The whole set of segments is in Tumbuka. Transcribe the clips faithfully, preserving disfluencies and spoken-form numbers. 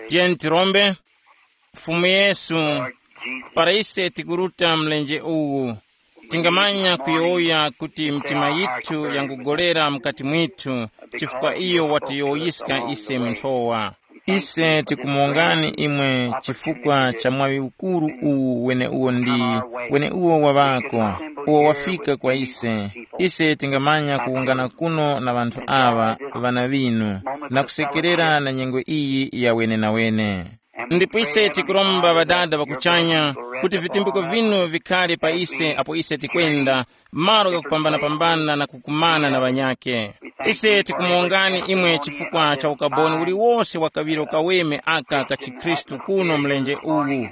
Tiyeni tirombe. Fumu Yesu, para ise tikuruta mlenje uwu, tingamanya kuyowoya kuti mitima yithu yangugolera mukati mwithu, chifukwa iyo watiyowoyiska ise mu nthowa. Ise tikumongani imwe chifukwa cha mwaŵi ukuru uwu weneuwo ndi weneuwo waŵako, uwo wafika kwa ise. Ise tingamanya kuwungana kuno na ŵanthu aŵa, ŵana ŵinu, na kusekerera na nyengo iyi ya wenenawene. Ndipo ise tikuromba Ŵadada ŵa kuchanya, kuti vitumbiko vinu vikhale pa ise apo ise tikwenda, malo ghakupambanapambana na kukumana na ŵanyakhe. Ise tikumongani imwe chifukwa cha ukaboni uliwose wa kaŵiro kaweme aka ka chikhristu kuno mlenje uwu,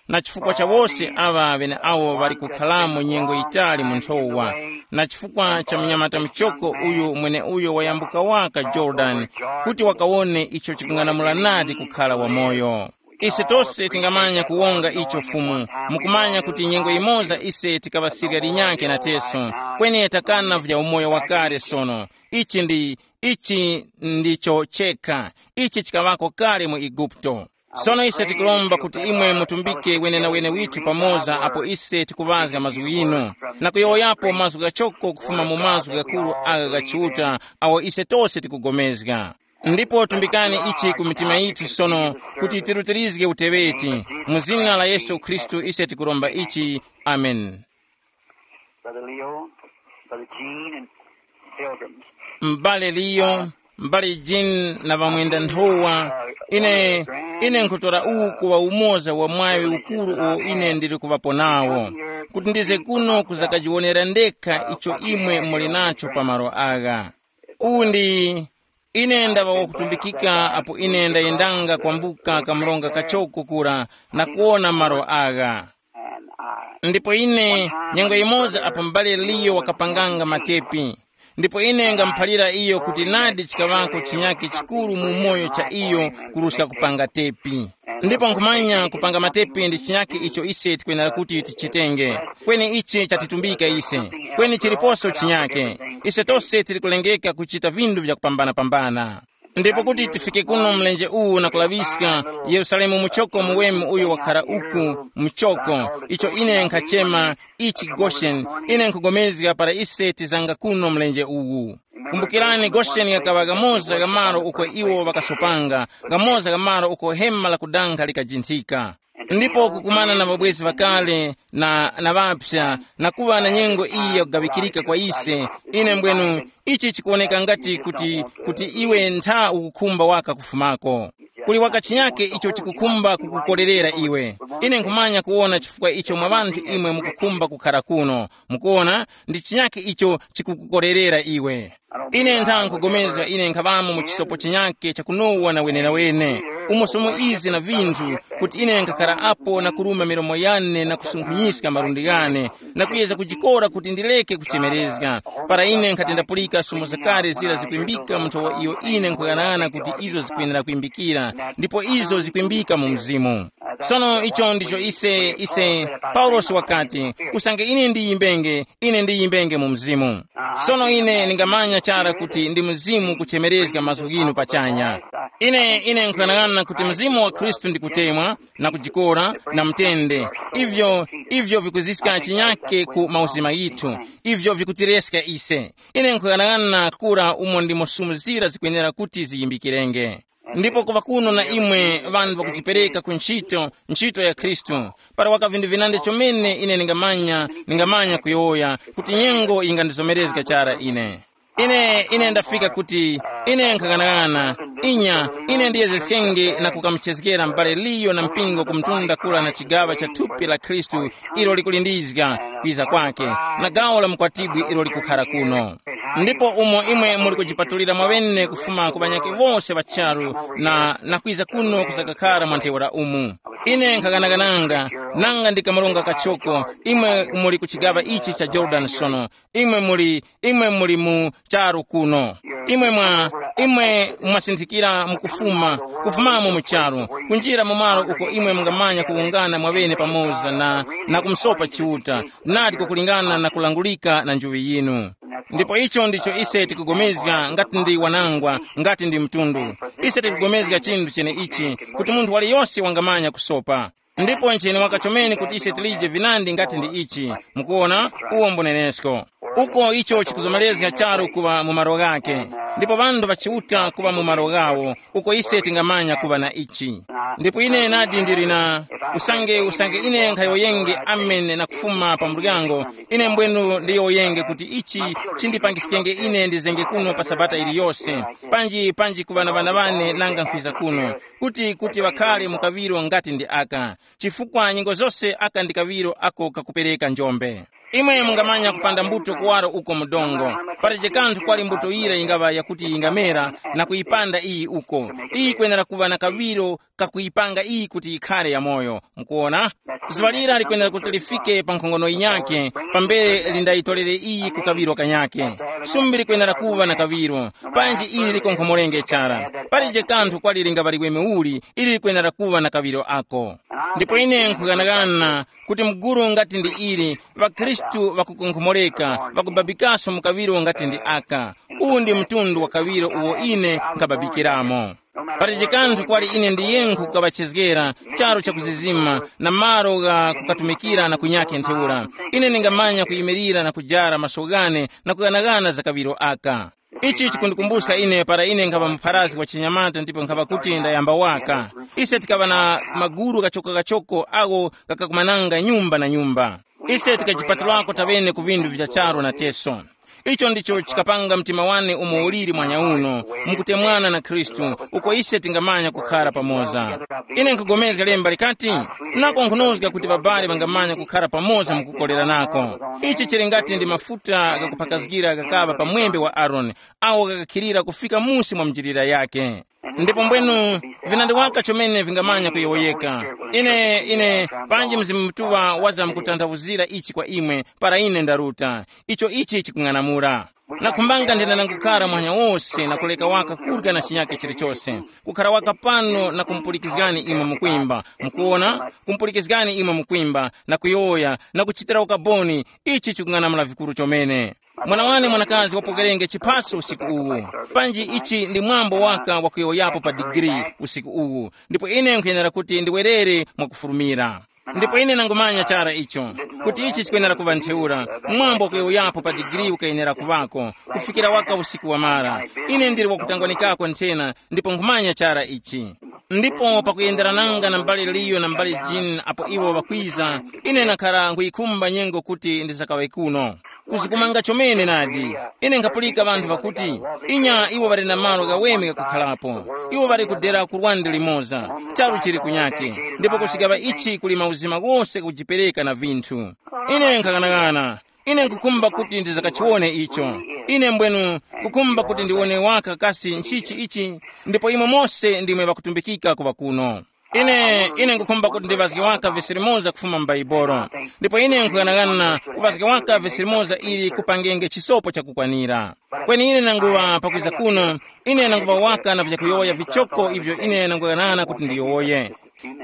na chifukwa cha wose aŵa ŵeneawo ŵali kukharamo nyengo yitali mu nthowa, na chifukwa cha munyamata muchoko uyu mweneuyo wayambuka waka Yorodani, kuti wakawone icho chikung'anamula nadi kukhala wamoyo. Ise tose tingamanya kuwonga icho Fumu, mukumanya kuti nyengo yimoza ise tikaŵasirya linyakhe nateso, kweni takana vya umoyo wakale sono. Ichi ndi, ichi ndicho chekha, ichi chikaŵako kale mu Eguputo. Sono ise tikuromba kuti imwe mutumbike wenenawene withu pamoza apo ise tikuŵazga mazgu ghinu, na kuyowoyapo mazgu ghachoko kufuma mu mazgu ghakuru agha gha Chiuta, awo ise tose tikugomezga. Ndipo tumbikani ichi ku mitima yithu sono, kuti tirutirizge uteŵeti. Mu zina la Yesu Khristu ise tikuromba ichi. Amen. Brother Leo, Brother Gene, and pilgrims. M'bale Liyo, m'bale Jean na ŵamwenda nthowa, ine, ine nkhutora uwu kuŵa umoza wa mwaŵi ukuru uwo ine ndili kuŵapo nawo, kuti ndize kuno kuzakajiwonera ndekha icho imwe muli nacho pa malo agha. Uwu ndi, ine ndaŵa wakutumbikika apo ine ndayendanga kwambuka kamronga kachoko kura na kuwona malo agha. Ndipo ine, nyengo yimoza apo m'bale Liyo wakapanganga matepi, ndipo ine ngamuphalira iyo kuti nadi chikaŵako chinyake chikuru mu umoyo cha iyo kuruska kupanga tepi. Ndipo nkhumanya kupanga matepi ndi chinyake icho ise tikwenera kuti tichitenge. Kweni ichi chatitumbika ise. Kweni chiliposo chinyake. Ise tose tili kulengeka kuchita vinthu vyakupambana-pambana. Ndipo kuti tifike kuno mlenje uwu na kulaŵiska, Yerusalemu muchoko muweme uyo wakhara uku, muchoko, icho ine nkhachema ichi Gosheni, ine nkhugomezga para ise tizanga kuno mlenje uwu. Kumbukirani, Gosheni ghakaŵa ghamoza gha malo uko iwo ŵakasopanga, ghamoza gha malo uko hema la kudankha likajinthika. Ndipo kukumana na ŵabwezi ŵakale na, na ŵapsa, na kuŵa na nyengo iyi yakugaŵikirika kwa ise, ine mbwenu, ichi chikuwoneka ngati kuti, kuti iwe ntha ukukhumba waka kufumako. Kuli waka chinyake icho chikukhumba kukukorerera iwe. Ine nkhumanya kuwona chifukwa icho mwa ŵanthu imwe mukukhumba kukhara kuno. Mukuwona, ndi chinyake icho chikukukorerera iwe. Ine ntha nkhupulikana ine nkhaŵamo mu chisopo chinyakhe chakunowa na wenenawene, umo somo izi na vinthu, kuti ine nkhakhara apo na kuruma milomo yane na kusunkhunyizga malundi ghane, na kuyeza kujikora kuti ndileke kuchemerezga. Para ine nkhati ndapulika somo zakale zira zikwimbika mu nthowa iyo ine nkhuyang'ana kuti izo zikwenera kwimbikira, ndipo izo zikwimbika mu mzimu. Sono icho ndicho ise, ise, Paulosi wakati, usange ine ndiyimbenge, ine ndiyimbenge mu mzimu. Sono ine ndingamanya chara kuti ndi mzimu kuchemerezga mazgu ghinu pachanya. Ine, ine nkuyang'ana kuti mzimu wa Khristu ndi kutemwa, na kujikora, na mtende. Ivyo, ivyo vikuziska chinyake ku mauzima ghithu. Ivyo vikutireska ise. Ine nkuyang'ana kura umo ndimo sumu zira zikwenera kuti ziyimbikirenge. Ndipo kuŵa kuno na imwe ŵanthu ŵakujipereka ku ntchito, ntchito ya Khristu, para waka vinthu vinandi chomene ine ningamanya, ningamanya kuyowoya kuti nyengo yingandizomerezga chara ine. Ine, ine ndafika kuti ine nkhang'anang'ana, inya, ine ndiyezeskenge na kukamuchezgera m'bale Liyo na mpingo ku mtunda kura na chigaŵa cha thupi la Khristu ilo likulindizga kwiza kwake, na gawo la mukwatibwi ilo likukhara kuno. Ndipo umo imwe muli kujipatulira mwaŵene kufuma ku ŵanyakhe wose ŵa charu na, na kwiza kuno kusakakhara mwa ntheura umu. Ine nkhaganagananga, nanga ndi kamulonga kachoko, imwe muli ku chigaŵa ichi cha Yorodani sono, imwe muli, imwe muli mu charu kuno. Imwe mwa, imwe mwasinthikira mukufuma, kufumamo mu charu, kunjira mu malo uko imwe mungamanya kuwungana mwaŵene pamoza na, na kumusopa Chiuta, nadi kukulingana na kulangulika na njuŵi yinu. Ndipo icho ndicho ise tikugomezga ngati ndi wanangwa, ngati ndi mtundu. Ise tikugomezga chinthu chene ichi, kuti munthu waliyonse wangamanya kusopa. Ndipo ncheni waka chomene kuti ise tilije vinandi ngati ndi ichi. Mukuona, uwo mbunenesko. Uko icho chikuzomerezga charu kuŵa mu malo ghake. Ndipo ŵanthu ŵachiuta kuŵa mu malo ghawo, uko ise tingamanya kuŵa na ichi. Ndipo ine nadi ndili na usange usange ine nkhayowoyenge amen na kufuma pa muryango, ine mbwenu ndiyowoyenge kuti ichi chindipangiskenge ine ndizenge kuno pa sabata iliyose, panji panji ku ŵana ŵana ŵane nanga nkhwiza kuno, kuti kuti ŵakhale mu kaŵiro ngati ndi aka, chifukwa nyengo zose aka ndi kaŵiro ako kakupereka njombe. Imwe mungamanya kupanda mbuto kuwaro uko mu dongo. Palibe kanthu kwali mbuto yira yingaŵa yakuti yingamera na kuyipanda iyi uko. Iyi yikwenera kuŵa na kaŵiro kakuyipanga iyi kuti yikhare yamoyo. Mukuona? Zuŵa lira likwenera kuti lifike pa nkhongono yinyakhe, pambere lindayitorere iyi ku kaŵiro kanyakhe. Sumbi likwenera kuŵa na kaŵiro, panji ili likonkhomorenge chara. Palibe kanthu kwali lingaŵa liweme uli, ili likwenera kuŵa na kaŵiro ako. Ndipo ine nkughanagana kuti mugulu ngati ndi ili, ŵakhristu ŵakukonkhomoreka, ŵakubabikaso mu kaŵiro ngati ndi aka. Uwu ndi mtundu wa kaŵiro uwo ine nkhababikiramo. Palibe kanthu kwali ine ndiyenkhu kukaŵachezgera, charu chakuzizima, na malo gha kukatumikira na kunyake ntheura. Ine ndingamanya kuyimirira na kujara maso ghane na kughanagana za kaŵiro aka. Ichi chikundikumbuska ine para ine nkhaŵa mupharazi wa chinyamata ndipo nkhaŵa kuti ndayamba waka. Ise tikaŵa na maguru kachoko-kachoko agho ghakakumananga nyumba na nyumba. Ise tikajipatulako tawene ku vinthu vya charu na teso. Icho ndicho chikapanga mtima wane umo uliri mwanya uno, mukutemwana na Khristu, uko ise tingamanya kukhara pamoza. Ine nkugomezga lemba likati, nakonkhonozga kuti babali bangamanya kukhara pamoza mukukoleranako. Ichi chili ngati ndi mafuta ghakuphakazgira ghakaŵa pa mwembe wa Aroni, awo ghakakhilira kufika musi mwa njilira yake. Ndipo mbwenu, vinandi waka chomene vingamanya kuyowoyeka. Ine, ine, panji Mzimu Mutuŵa waza mukutanthauzira ichi kwa imwe, para ine ndaruta. Icho ichi chikung'anamula. Nakhumbanga ndina nangukara muhanya wose na kuleka waka kurya na chinyake chilichose. Kukhara waka pano na kumupulikizgani imwe mukwimba. Mukuona? Kumupulikizgani imwe mukwimba, na kuyowoya, na kuchitira ukaboni, ichi chikung'anamula vikuru chomene. Mwana wane mwanakazi wapokerenge chiphaso usiku uwu. Panji ichi ndi mwambo waka wakuyowoyapo pa digiri usiku uwu, ndipo ine nkhuyenera kuti ndiwerere mwakufurumira. Ndipo ine nangumanya chara icho, kuti ichi chikwenera kuŵa ntheura. Mwambo wakuyowoyapo pa digiri ukayenera kuŵako, kufikira waka usiku wamara. Ine ndili wakutangwanikako nthena, ndipo nkhumanya chara ichi. Ndipo pakuyenderananga na mbale Liyo na mbale Jean apo iwo ŵakwiza, ine nakhara nkhuyikhumba nyengo kuti ndisakaŵe kuno. Kuzikumanga chomene nadi. Ine nkhapulika ŵanthu ŵakuti, inya iwo ŵali na malo ghaweme ghakukharapo. Iwo ŵali kudera ku lwande limoza, charu chili kunyake, ndipo kuchigaŵa ichi kuli mauzima ghose kujipereka na vinthu. Ine nkhaghanagana. Ine nkukhumba kuti ndizakachiwone icho. Ine mbwenu nkukhumba kuti ndiwone waka kasi nchichi ichi, ndipo imwe mose ndimwe ŵakutumbikika kuŵa kuno. Ine, ine nkukhumba kuti ndiŵazge waka vesi limoza kufuma m'Baibolo. Ndipo ine nkughanagana kuŵazga waka vesi limoza ili kupangenge chisopo chakukwanira. Kweni ine nanguŵa pakwiza kuno, ine nanguŵa waka na vyakuyowoya vichoko ivyo ine nangughanagana kuti ndiyowoye.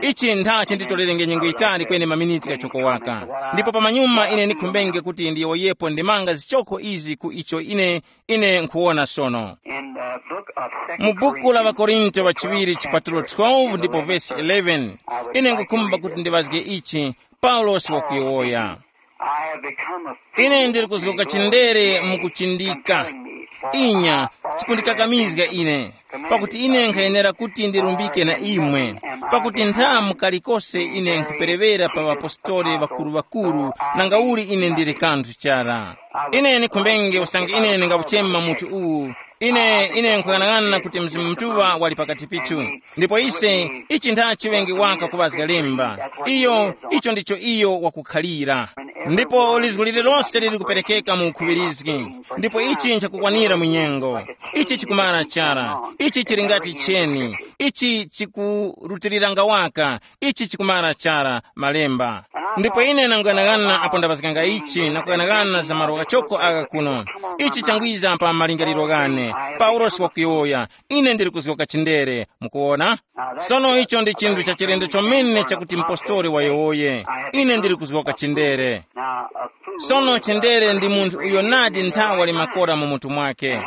Ichi ntha chinditorerenge nyengo yitali kweni maminiti ghachoko waka. Ndipo pamanyuma ine ndikhumbenge kuti ndiyowoyepo ndimanga zichoko izi ku icho ine, ine nkhuwona sono. In the book of mu Second buku la Corinthians, Vakorinto wachiŵiri chipatulo twelve ndipo vesi eleven, ine nkukhumba kuti ndiŵazge ichi. Paulosi wakuyowoya, I have become a ine ndili kuzgoka chindere mukuchindika. Inya, chikundikakamizga ine, pakuti ine nkhayenera kuti ndirumbike na imwe, pakuti nthamu kalikose ine nkhuperewera pa ŵapostoli ŵakuru-ŵakuru, nangauli ine ndili kanthu chara. Ine nikhumbenge usange ine ndingauchema mutu uwu. Ine, ine nkhuyang'ana kuti Mzimu Mutuŵa wali pakati pithu. Ndipo ise, ichi ntha chiŵenge waka kuŵazga lemba. Iyo, icho ndicho iyo wakukhalira. Ndipo lizgu lililose lili kuperekeka mu ukhuŵirizgi. Ndipo ichi nchakukwanira mu nyengo. Ichi chikumara chara. Ichi chili ngati cheni. Ichi chikurutiliranga waka. Ichi chikumara chara malemba. Ndipo ine nanguyanaghana apo ndaŵazganga ichi na kuyanaghana za malo ghachoko agha kuno. Ichi changwiza pa malingaliro ghane. Paulosi wakuyowoya, ine ndili kuzgoka chindere. Mukuwona? Sono icho ndi chinthu cha chilendo chomene chakuti mpostoli wayowoye, ine ndili kuzgoka chindere. Sono chendere ndi munthu uyo nadi nthawa limakora mu mutu mwake.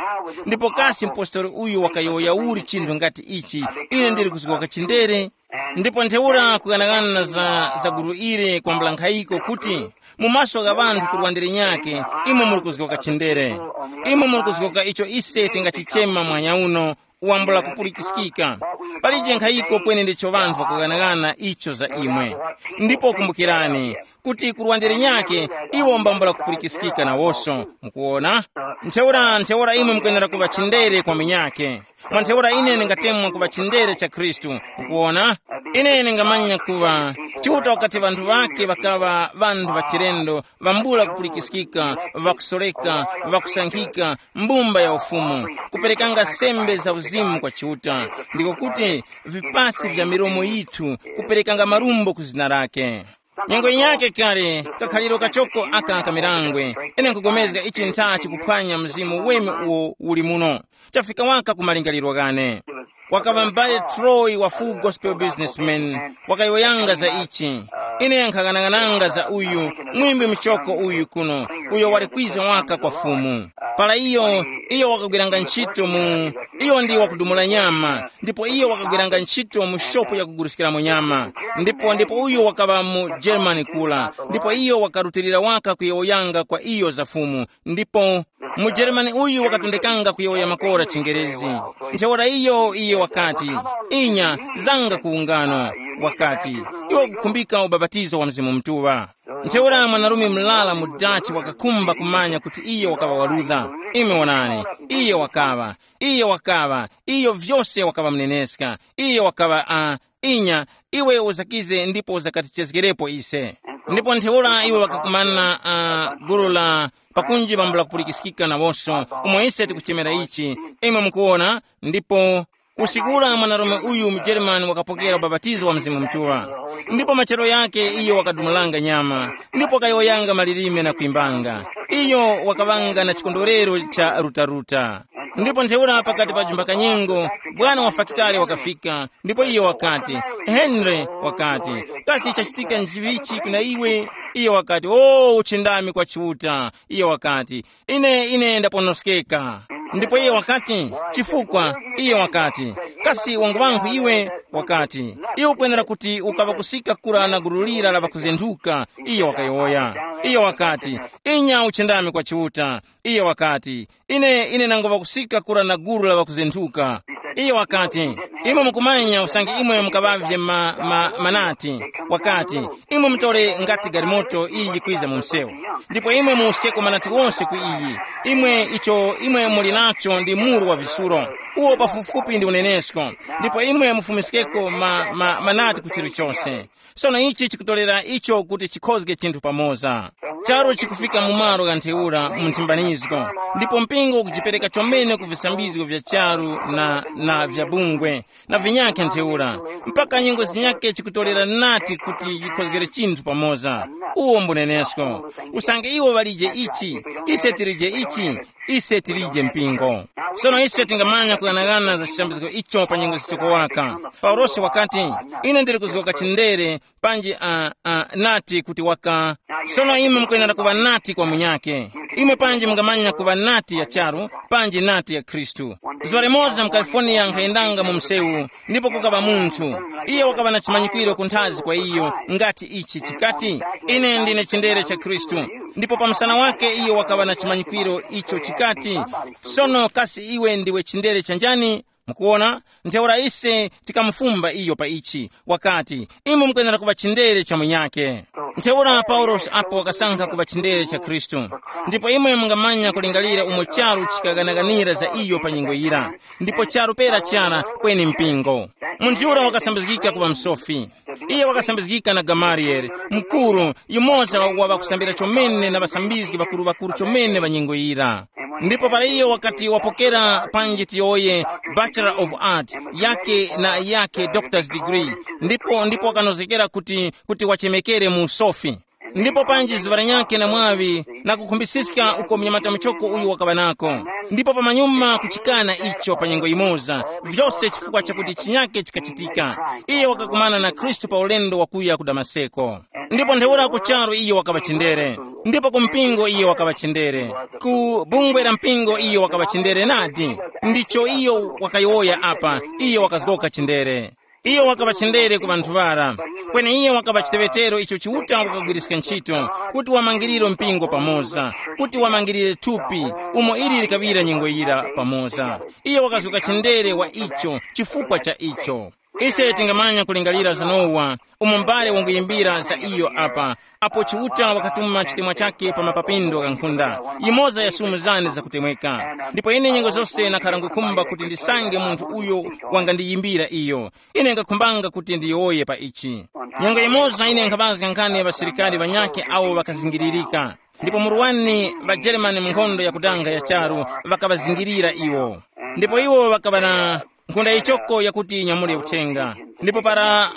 Ndipo kasi mpostoli uyu wakayowoya uli chinthu ngati ichi? Ine ndili kuzgoka chindere. Ndipo ntheura kughanagana za, za gulu ili kwambula nkhayiko kuti, mu maso gha ŵanthu kurwa ndi linyakhe, imwe muli kuzgoka chindere. Imwe muli kuzgoka icho ise tingachichema mwanya uno, wambula kupulikiskika. Palije nkhayiko kweni ndicho ŵanthu ŵakughanagana icho za imwe. Ndipo kumbukirani, kuti kurwa ndi linyakhe, iwo mbambula kupulikiskika nawoso. Mukuona? Ntheura ntheura imwe mukwenera kuŵa chindere kwa munyakhe. Mwa ntheura ine ndingatemwa kuŵa chindere cha Khristu. Mukuona? Ine ndingamanya kuŵa, Chiuta wakati ŵanthu ŵake ŵakaŵa ŵanthu ŵachilendo, ŵambula kupulikiskika, ŵakusoreka, ŵakusankhika, mbumba ya ufumu, kuperekanga sembe za uzimu kwa Chiuta, ndiko kuti vipasi vya milomo yithu, kuperekanga marumbo ku zina lake. Nyengo yake kale, kakhaliro kachoko aka kamirangwe, ine nkugomezga ichi ntha chikuphwanya mzimu weme uwo uli muno. Chafika waka ku malingaliro ghane. Wakaŵa m'bale Troy wa Full Gospel Businessman, wakayowoyanga za ichi. Ine nkhaghanaghananga za uyu mwimbi muchoko uyu kuno, uyo wali kwiza waka kwa Fumu. Para iyo, iyo wakagwiranga ntchito mu, iyo ndi wakudumula nyama, ndipo iyo wakagwiranga ntchito mu shopu yakuguliskiramo nyama. Ndipo ndipo uyo wakaŵa mu Germany kula, ndipo iyo wakarutilira waka kuyowoyanga kwa iyo za Fumu. Ndipo mujeremani uyu wakatondekanga kuyowoya makora chingerezi. Ntheura iyo iye wakati, inya, zanga ku ungano. Wakati, iwe ukukhumbika ubapatizo wa Mzimu Mutuŵa. Ntheura mwanarume mlala mu Dutch wakakhumba kumanya kuti iyo wakaŵa wa Luther. Imwe wonani, iyo wakaŵa, iyo wakaŵa, iyo vyose wakaŵa mneneska, iyo wakaŵa a, inya, iwe uzakize ndipo uzakatichezgerepo ise. Ndipo ntheura iwo ŵakakumana uh, gulu la pakunji pambula kupulikiskika nawonso, umo ise tikuchemera ichi, imwe mukuwona. Ndipo usiku ula mwanarume uyu mujeremani wakapokera ubapatizo wa Mzimu Mutuŵa. Ndipo machero yake iyo wakadumulanga nyama, ndipo wakayowoyanga malilime na kwimbanga. Iyo wakaŵanga na chikondwerero cha rutaruta. Ndipo ntheura pakati pa jumba kanyengo, bwana wa fakitare wakafika, ndipo iyo wakati, Henry, wakati, kasi chachitika nchivichi kuna iwe? Iyo wakati, o, uchindami kwa Chiuta. Iyo wakati, ine ine ndaponoskeka. Ndipo iyo wakati, chifukwa? Iyo wakati, kasi wangu wanghu iwe? Wakati, iwe ukwenera kuti ukaŵa kusika kura na gulu lira la ŵakuzenthuka. Iyo wakayowoya. Iyo wakati, inya uchindami kwa Chiuta. Iyo wakati, ine ine nangoŵa kusika kura na gulu la ŵakuzenthuka. Iyo wakati, imwe mukumanya usange imwe mukaŵavye ma, ma, manati. Wakati, imwe mutore ngati galimoto iyi yikwiza mu msewu, ndipo imwe muuskeko manati wonse ku iyi. Imwe icho imwe muli nacho ndi muru wa visuro, uwo pafupifupi ndi unenesko. Ndipo imwe mufumiskeko ma, ma, manati ku chilichonse. Sono ichi chikutorera icho kuti chikhozge chinthu pamoza. Charu chikufika mu malo gha ntheura mu nthimbanizgo, ndipo mpingo ukujipereka chomene ku visambizgo vya charu na, na vya bungwe na vinyakhe ntheura, mpaka nyengo zinyakhe chikutorera nati kuti yikhozgere chinthu pamoza. Uwo mbunenesko. Usange iwo ŵalije ichi, ise tilije ichi, ise tilije mpingo. Sono ise tingamanya kughanagana za chisambizgo icho pa nyengo zichoko waka. Paulosi wakati, ine ndili kuzgoka chindere, panji uh, uh, nati kuti waka. Sono imwe mukwenera kuŵa nati kwa munyake. Imwe panji mungamanya kuŵa nati ya charu, panji nati ya Khristu. Zuwa limoza mu California nkhayendanga mu msewu, ndipo kukaŵa munthu. Iye wakaŵa na chimanyikwiro kunthazi kwa iyo, ngati ichi chikati, ine ndine chindere cha Khristu. Ndipo pa msana wake iyo wakaŵa na chimanyikwiro icho chikati, sono kasi iwe ndiwe chindere cha njani? Mukuona, ntheura ise tikamufumba iyo pa ichi. Wakati, imwe mukwenera kuŵa chindere cha munyake. Ntheura paulosi apo wakasankha kuŵa chindere cha Khristu. Ndipo imwe mungamanya kulingalira umo charu chikaganaganira za iyo pa nyengo yira. Ndipo charu pera chara kweni mpingo. Munthu yura wakasambizgika kuŵa msofi. Iye wakasambizgika na Gamaliyele, mukuru, yumoza wa ŵakusambira chomene na ŵasambizgi ŵakuru-ŵakuru chomene ŵa nyengo yira. Ndipo para iyo wakati wapokera panji tiyowoye Bachelor of Art yake na yake doctor's degree, ndipo ndipo wakanozgekera kuti kuti wachemekere mu usofi. Ndipo panji zuŵa lanyakhe na mwaŵi na kukhumbisiska uko mnyamata muchoko uyu wakaŵa nako. Ndipo pamanyuma kuchikana icho pa nyengo yimoza, vyose chifukwa chakuti chinyake chikachitika. Iye wakakumana na Khristu pa ulendo wakuya ku Damaseko. Ndipo ntheura ku charu iye wakaŵa chindere, ndipo ku mpingo iye wakaŵa chindere, ku bungwe la mpingo iye wakaŵa chindere nadi. Ndicho iyo wakayowoya apa, iye wakazgoka chindere. Iyo wakaŵa chindere ku ŵanthu ŵara. Kweni iye wakaŵa chiteŵetero icho Chiuta wakagwiriska ntchito, kuti wamangirire mpingo pamoza, kuti wamangirire thupi, umo ili likaŵira nyengo yira pamoza. Iye wakazgoka chindere wa icho chifukwa cha icho. Ise tingamanya kulingalira za Nowa, umo mbale wanguyimbira za iyo apa, apo Chiuta wakatuma chitemwa chake pa mapapindo gha nkhunda, yimoza ya sumu zane zakutemweka. Ndipo ine nyengo zose nakhara ngukhumba kuti ndisange munthu uyo wangandiyimbira iyo. Ine ngakhumbanga kuti ndiyowoye pa ichi. Nyengo yimoza ine nkhaŵazga nkhani ya ŵasilikari ŵanyakhe awo ŵakazingiririka. Ndipo muruwani ŵajeremani mu nkhondo yakudanga ya charu ŵakaŵazingirira iwo. Ndipo iwo ŵakaŵa na nkhunda yichoko yakuti inyamule uthenga. Ndipo para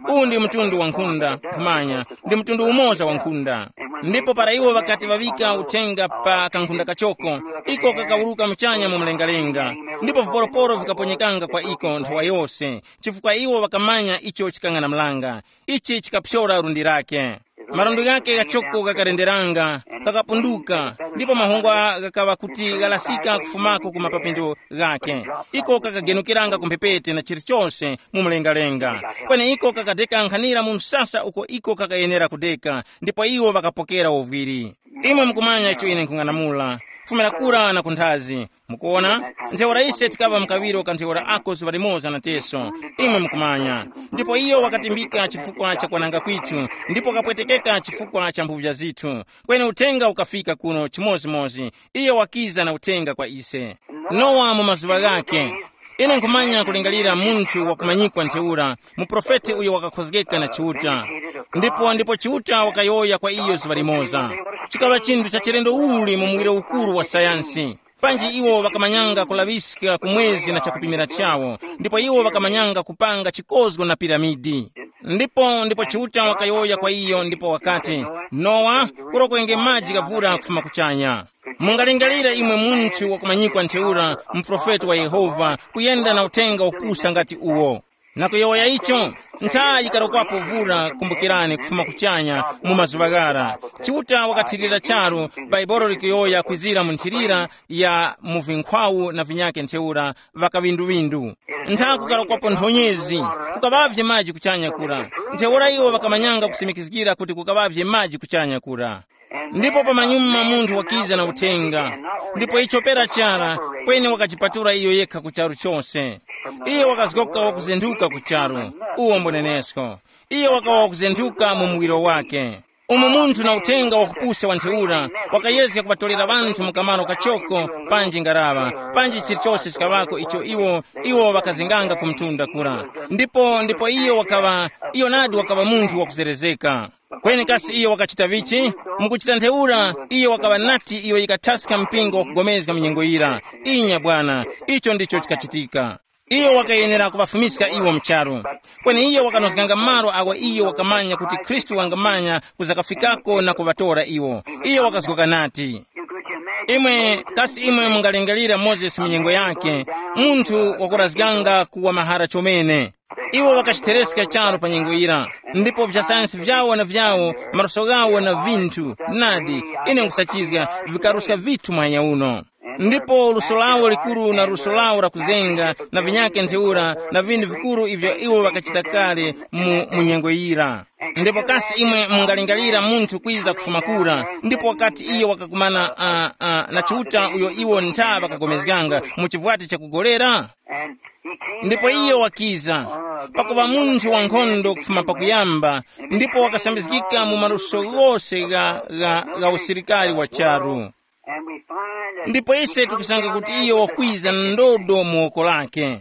uh, uwu ndi mtundu wa nkhunda nkhumanya, ndi mtundu umoza wa nkhunda. Ndipo para iwo ŵakati ŵaŵika uthenga pa kankhunda kachoko, iko kakawuruka muchanya mu mlengalenga. Ndipo viporoporo vikaponyekanga kwa iko nthawa yose, chifukwa iwo ŵakamanya icho chikang'anamulanga. Ichi chikaphyora lundi lake. Marandu ghake ghachoko ghakarenderanga, kakapunduka, ndipo mahungwa ghakaŵa kuti ghalasika kufumako ku mapapindo ghake. Iko kakagenukiranga ku mphepete na chilichose mu mlengalenga. Kweni iko kakadeka nkhanira mu msasa uko iko kakayenera kudeka, ndipo iwo ŵakapokera uvwiri. Imwe mukumanya icho ine nkhung'anamula, kufumira kura na kunthazi. Mukuona, ntheura ise tikaŵa mkaŵiro ka ntheura ako zuŵa limoza na teso, imwe mukumanya. Ndipo iyo wakatimbika chifukwa cha kwananga kwithu, ndipo kapwetekeka chifukwa cha mphuvya zithu. Kweni uthenga ukafika kuno chimozimozi, iyo wakiza na uthenga kwa ise. Nowa mu mazuŵa ghake, ine nkhumanya kulingalira munthu wakumanyikwa ntheura, muprofeti uyo wakakhozgeka na Chiuta. Ndipo ndipo Chiuta wakayowoya kwa iyo zuŵa limoza. Chikaŵa chinthu cha chilendo uli mu muwiro ukuru wa sayansi. Panji iwo ŵakamanyanga kulaŵiska ku mwezi na chakupimira chawo, ndipo iwo ŵakamanyanga kupanga chikozgo na piramidi. Ndipo ndipo Chiuta wakayowoya kwa iyo ndipo wakati, Nowa, kurokwenge maji gavura kufuma kuchanya. Mungalingalire imwe munthu wakumanyikwa ntheura, muprofeti wa Yehova, kuyenda na uthenga wakupusa ngati uwo. Na kuyowoya icho, ntha yikarokwapo vura kumbukirani kufuma kuchanya mu mazuŵa ghara. Chiuta wakathirira charu, Baibolo likuyowoya kwizira mu nthirira ya mu vinkhwawu na vinyake ntheura, ŵakaŵinduŵindu. Ntha kukarokwapo nthonyezi, kukaŵavye maji kuchanya kura. Ntheura iwo ŵakamanyanga kusimikizgira kuti kukaŵavye maji kuchanya kura. Ndipo pamanyuma munthu wakiza na uthenga, ndipo icho pera chara, kweni wakachipatula iyo yekha ku charu chose. Iye wakazgoka wakuzenthuka ku charu, uwo mbonenesko. Iye wakawa wakuzenthuka mu muwiro wake. Umo munthu na uthenga wakupusa wa ntheura, wakayezga kuŵatolera ŵanthu mu kamaro kachoko, panji ngaraŵa, panji chilichose chikaŵako icho iwo iwo ŵakazenganga ku mtunda kura. Ndipo ndipo iyo wakaŵa, iyo nadi wakaŵa munthu wakuzerezeka. Kweni kasi iyo wakachita vichi? Mukuchita ntheura, iyo wakaŵa nati iyo yikathaska mpingo wakugomezga mu nyengo yira. Inya bwana, icho ndicho chikachitika. Iyo wakayenera kuŵafumiska iwo mu charu. Kweni iyo wakanozganga malo awo iyo wakamanya kuti Khristu wangamanya kuzakafikako na kuŵatora iwo. Iyo wakazgoka nati, imwe, kasi imwe mungalingalira Mozesi mu nyengo yake, munthu wakurazganga kuwa mahara chomene. Iwo ŵakachitereska charu pa nyengo yira, ndipo vyasayansi vyawo na vyawo, maluso ghawo na vinthu, nadi, ine nkhusachizga, vikaruska vithu muhanya uno. Ndipo luso lawo likuru na luso lawo la kuzenga na vinyake ntheura na vinthu vikuru ivyo iwo ŵakachita kale mu, mu nyengo yira. Ndipo kasi imwe mungalingalira munthu kwiza kufuma kura, ndipo wakati iyo wakakumana uh, uh, na Chiuta uyo iwo ntha ŵakagomezganga mu chivwati chakugolera? Ndipo iyo wakiza, pakuŵa munthu wankhondo kufuma pakuyamba, ndipo wakasambizgika mu maluso ghose gha, gha, gha usilikari wa charu. Ndipo ise tikusanga kuti iyo wakwiza na ndodo mu woko lake,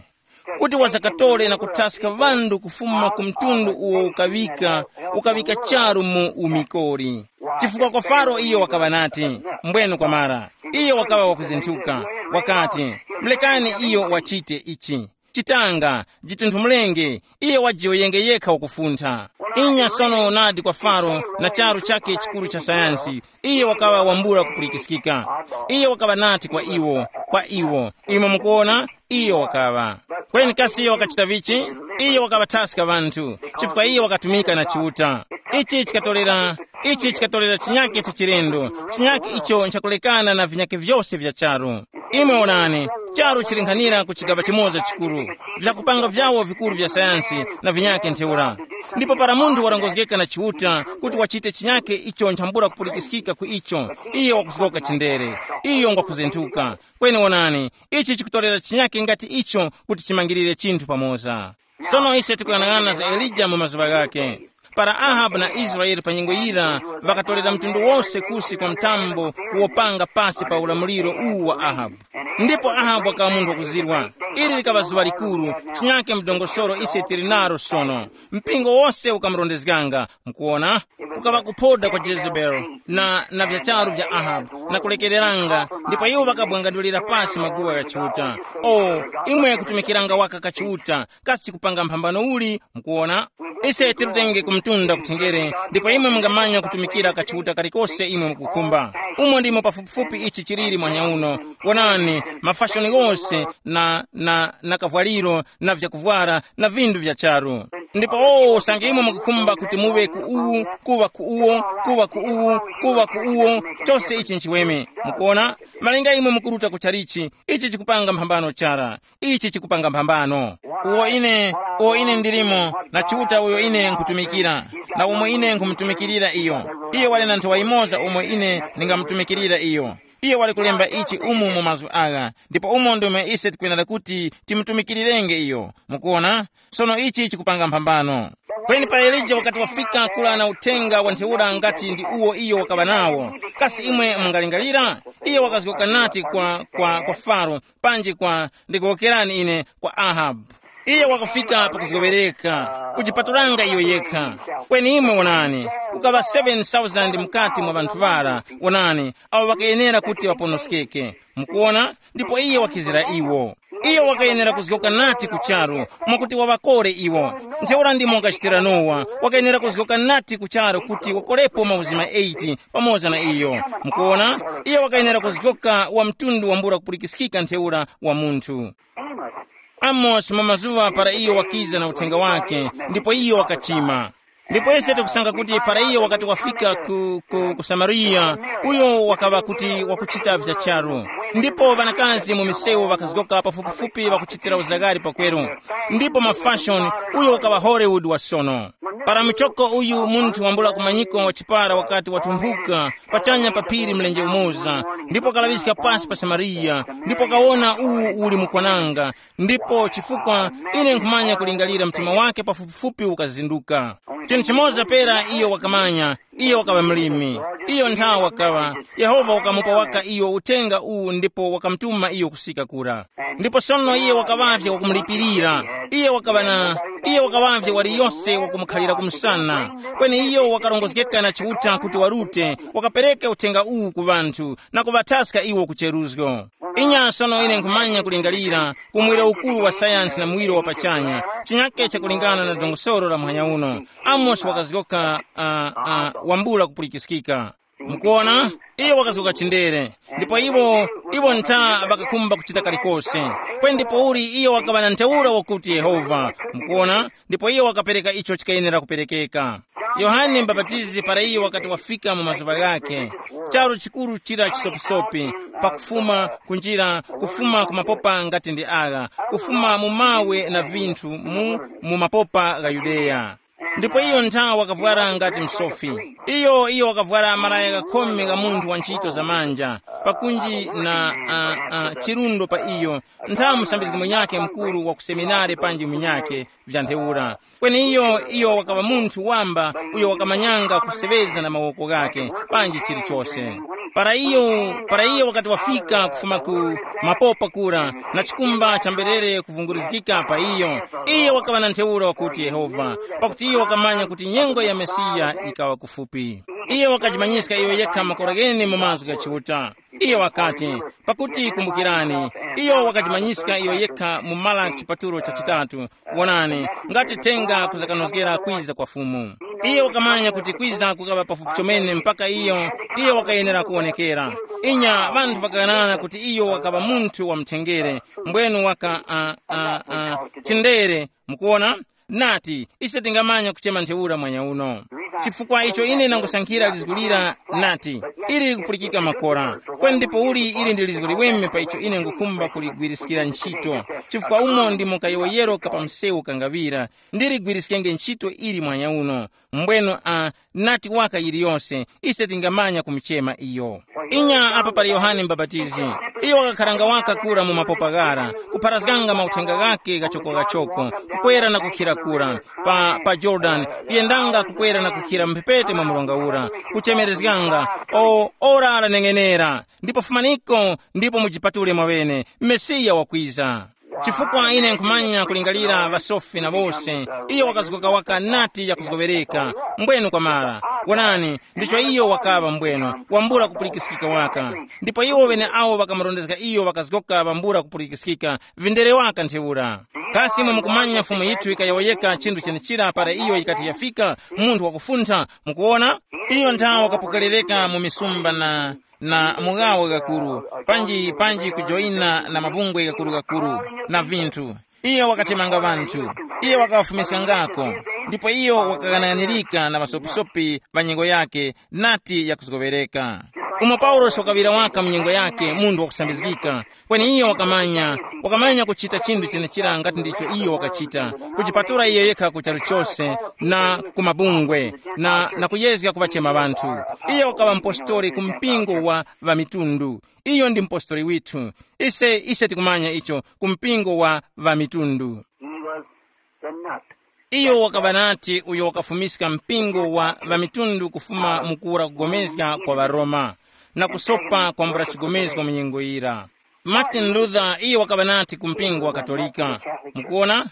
kuti wazakatole na kuthaska ŵanthu kufuma ku mtundu uwo ukaŵika, ukaŵika charu mu umikori. Chifukwa kwa Faro iyo wakaŵa nati, mbwenu kwamara. Iyo wakaŵa wakuzinthuka, wakati, mulekani iyo wachite ichi. Chitanga, jitunthumulenge, iye wajiyoyenge yekha wakufuntha. Inya sono nadi kwa Faro na charu chakhe chikuru cha sayansi. Iye wakaŵa wambula kupulikiskika. Iye wakaŵa nati kwa iwo, kwa iwo, imwe mukuwona, iye wakaŵa. Kweni kasi iye wakachita vichi? Iye wakaŵathaska ŵanthu, chifukwa iye wakatumika na Chiuta. Ichi chikatorera, ichi chikatorera chinyake cha chilendo, chinyake icho nchakulekana na vinyake vyose vya charu. Imwe onani, charu chilinkhanira ku chigaŵa chimoza chikuru, vyakupanga vyawo vikuru vya sayansi na vinyake ntheura. Ndipo para munthu warongozgeka na Chiuta kuti wachite chinyake icho nchambula kupulikiskika ku icho, iyo wakuzgoka chindere, iyo ngwakuzentuka. Kweni wonani, ichi chikutorera chinyake ngati icho kuti chimangirire chinthu pamoza. Sono ise tikuyang'ana za Elija mu mazuŵa ghakhe. Para Ahabu na Israele pa nyengo yira ŵakatorera mtundu wose kusi kwa mtambo kuwopanga pasi pa ulamuliro uwu wa Ahabu. Ndipo Ahabu wakaŵa munthu wakuzirwa. Ili likaŵa zuŵa likuru, chinyake mdongosolo ise tili naro sono. Mpingo wose ukamurondezganga, mukuwona, kukaŵa kuphoda kwa Jezebeli na, na vyacharu vya Ahabu na kulekereranga, ndipo iwo ŵakabwangandulira pasi maguwa gha Chiuta. O, imwe kutumikiranga waka ka Chiuta, kasi chikupanga mphambano uli? Mukuwona, ise tirutenge ku mtunda kuthengere, ndipo imwe mungamanya kutumikira ka Chiuta kalikose imwe mukukhumba. Umo ndimo pafupifupi ichi chiliri mwanya uno. Wonani, mafashoni ghose na, na, na kavwaliro na vyakuvwara na vindu vya charu. Ndipo o usange imwe mukukhumba kuti muŵe ku uwu, kuŵa ku uwo, kuŵa ku uwu, kuŵa ku uwo, chose ichi nchiweme. Mukuona, malinga imwe mukuruta ku chalichi, ichi chikupanga mphambano chara. Ichi chikupanga mphambano. Uwo ine, uwo ine ndilimo na Chiuta uyo ine nkutumikira, na umo ine nkhumutumikirira iyo. Iyo wali na nthowa yimoza umo ine ndingamutumikirira iyo. Iyo wali kulemba ichi umu mu mazgu agha, ndipo umo ndimo ise tikwenera kuti timutumikirirenge iyo. Mukuona, sono ichi chikupanga mphambano. Kweni pa Elija wakati wafika kula na uthenga wa ntheura ngati ndi uwo iyo wakaŵa nawo, kasi imwe mungalingalira? Iyo wakazgoka nati kwa, kwa, kwa Faro, panji kwa, ndikuwokerani ine, kwa Ahabu. Iye wakafika pakuzgoŵereka, kujipatulanga iyo yekha. Kweni imwe wonani, kukaŵa seven thousand mukati mwa ŵanthu ŵara, wonani, awo ŵakayenera kuti ŵaponoskeke. Mukuona, ndipo iye wakizira iwo. Iye wakayenera kuzgoka nati ku charu, mwakuti waŵakore iwo. Ntheura ndimo wakachitira Nowa, wakayenera kuzgoka nati ku charu kuti wakorepo mauzima eight pamoza na iyo. Mukuona, iye wakayenera kuzgoka wa mtundu wambula kupulikiskika ntheura wa munthu. Amosi mu mazuŵa para iyo wakiza na uthenga wake, ndipo iyo wakachima. Ndipo ise tikusanga kuti para iyo wakati wafika ku, ku, ku Samariya, uyo wakaŵa kuti wakuchita vya charu. Ndipo ŵanakazi mu misewu ŵakazgoka pafupifupi ŵakuchitira uzagari pakweru. Ndipo mafashoni, uyo wakaŵa Hollywood wa sono. Para muchoko uyu munthu wambula kumanyiko wa chipara wakati watumphuka pachanya pa phiri mlenje umoza, ndipo wakalaŵiska pasi pa Samariya, ndipo wakawona uwu uli mukwananga, ndipo chifukwa ine nkhumanya kulingalira mtima wake pafupifupi ukazinduka. Chinthu chimoza pera iyo wakamanya, iyo wakaŵa mlimi. Iyo nthawi wakaŵa, Yehova wakamupa waka iyo uthenga uwu ndipo wakamutuma iyo kusika kura. Ndipo sono iye wakaŵavye wakumulipirira. Iye wakaŵa na, iye wakaŵavye waliyose wakumukhalira kumsana. Kweni iyo wakarongozgeka na Chiuta kuti warute, wakapereke uthenga uwu ku ŵanthu na kuŵathaska iwo ku cheruzgo. Inya sono ine nkhumanya kulingalira kumwiro ukuru wa sayansi na muwiro wa pachanya, chinyake chakulingana na dongosolo la muhanya uno. Amosi wakazgoka uh, uh, wambula kupulikiskika. Mukuona, iyo wakazgoka chindere. Ndipo iwo, iwo ntha ŵakakhumba kuchita kalikose. Kweni ndipo uli iyo wakaŵa na ntheura wakuti Yehova. Mukuona, ndipo iyo wakapereka icho chikayenera kuperekeka. Yohane Mbapatizi para iyo wakati wafika mu mazuŵa ghakhe, charu chikuru chira chisopisopi, pakufuma kunjira, kufuma ku mapopa ngati ndi agha, kufuma mu mawe na vinthu mu, mu mapopa gha Yudeya. Ndipo iyo nthawi wakavwara ngati msofi. Iyo, iyo wakavwara malaya ghakhome gha munthu wa ntchito za manja, pakunji na uh, uh, chirundo pa iyo, nthawi musambizgi munyakhe mukuru wa ku seminari panji munyakhe vya ntheura. Kweni iyo, iyo wakaŵa munthu wamba uyo wakamanyanga kuseŵeza na mawoko ghakhe panji chilichose. Para iyo, para iyo wakati wafika kufuma ku mapopa kura na chikumba cha mberere kuvungurizgika pa iyo, iyo wakaŵa na ntheura wakuti Yehova, pakuti iyo wakamanya kuti nyengo ya Mesiya ikaŵa kufupi. Iyo wakajimanyiska iyo yekha makora ghene mu mazgu gha Chiuta. Iyo wakati, pakuti kumbukirani, iyo wakajimanyiska iyo yekha mu Malaki chipatulo cha chitatu, wonani, ngati thenga kuzakanozgera kwiza kwa Fumu. Iyo wakamanya kuti kwiza kukaŵa pafupi chomene mpaka iyo, iyo wakayenera kuwonekera. Inya ŵanthu ŵakaghanana kuti iyo wakaŵa munthu wa mthengere, mbwenu waka uh, uh, uh, chindere. Mukuona, nati ise tingamanya kuchema ntheura mwanya uno. Chifukwa icho ine ndangosankhira lizgu lira, nati ili likupulikika makora. Kweni ndipo uli ili ndi lizgu liweme pa icho ine ngukhumba kuligwiriskira ntchito, chifukwa umo ndimo kayowoyero ka pa msewu kangaŵira. Ndiligwiriskenge ntchito ili mwanya uno. Mbwenu a nati waka yiliyose, ise tingamanya kumuchema iyo. Inya apa pali Yohane Mubapatizi. Iyo wakakharanga waka kura mu mapopa ghara, kupharazganga mauthenga ghake ghachoko-ghachoko, kukwera na kukhira kura pa, pa Jorodani, kuyendanga kukwera na kukhira mphepete mwa mronga ura, kuchemerezganga, o ora laneng'enera, ndipo fumaniko, ndipo mujipatule mwaŵene, Mesiya wakwiza. Chifukwa ine nkhumanya kulingalira ŵasofi na wose, iyo wakazgoka waka nati yakuzgoŵereka, mbwenu kwamara. Wonani, ndicho iyo wakaŵa mbwenu, wambula kupulikiskika waka. Ndipo iwo ŵeneawo ŵakamurondezga iyo ŵakazgoka ŵambula kupulikiskika, vindere waka ntheura. Kasi imwe mukumanya Fumu yithu yikayowoyeka chinthu chenechira para iyo yikati yafika, munthu wakufuntha, mukuwona? Iyo nthawe wakapokerereka mu misumba na na mughawo ghakuru, panji panji kujoyina na mabungwe ghakuru-ghakuru na vinthu. Iyo wakatemanga ŵanthu, iyo wakaŵafumiskangako, ndipo iyo wakaghanaghanirika na ŵasopisopi ŵa nyengo yake, nati yakuzgoŵereka. Umo Paulosi wakaŵira waka mu nyengo yake munthu wakusambizgika, kweni iyo wakamanya, wakamanya kuchita chinthu chenechira ngati ndicho iyo wakachita, kujipatula iyo yekha ku charu chose na ku mabungwe, na, na kuyezga kuŵachema ŵanthu. Iyo wakaŵa mpostori ku mpingo wa ŵamitundu. Iyo ndi mpostori withu. Ise, ise tikumanya icho ku mpingo wa ŵamitundu. He was the nut. Iyo wakaŵa nati uyo wakafumiska mpingo wa ŵamitundu kufuma mu kuwura kugomezga kwa ŵaRoma, na kusopa kwambula chigomezgo mu nyengo yira. Martin Luther iyo wakaŵa nati ku mpingo wa Katolika. Mukuona?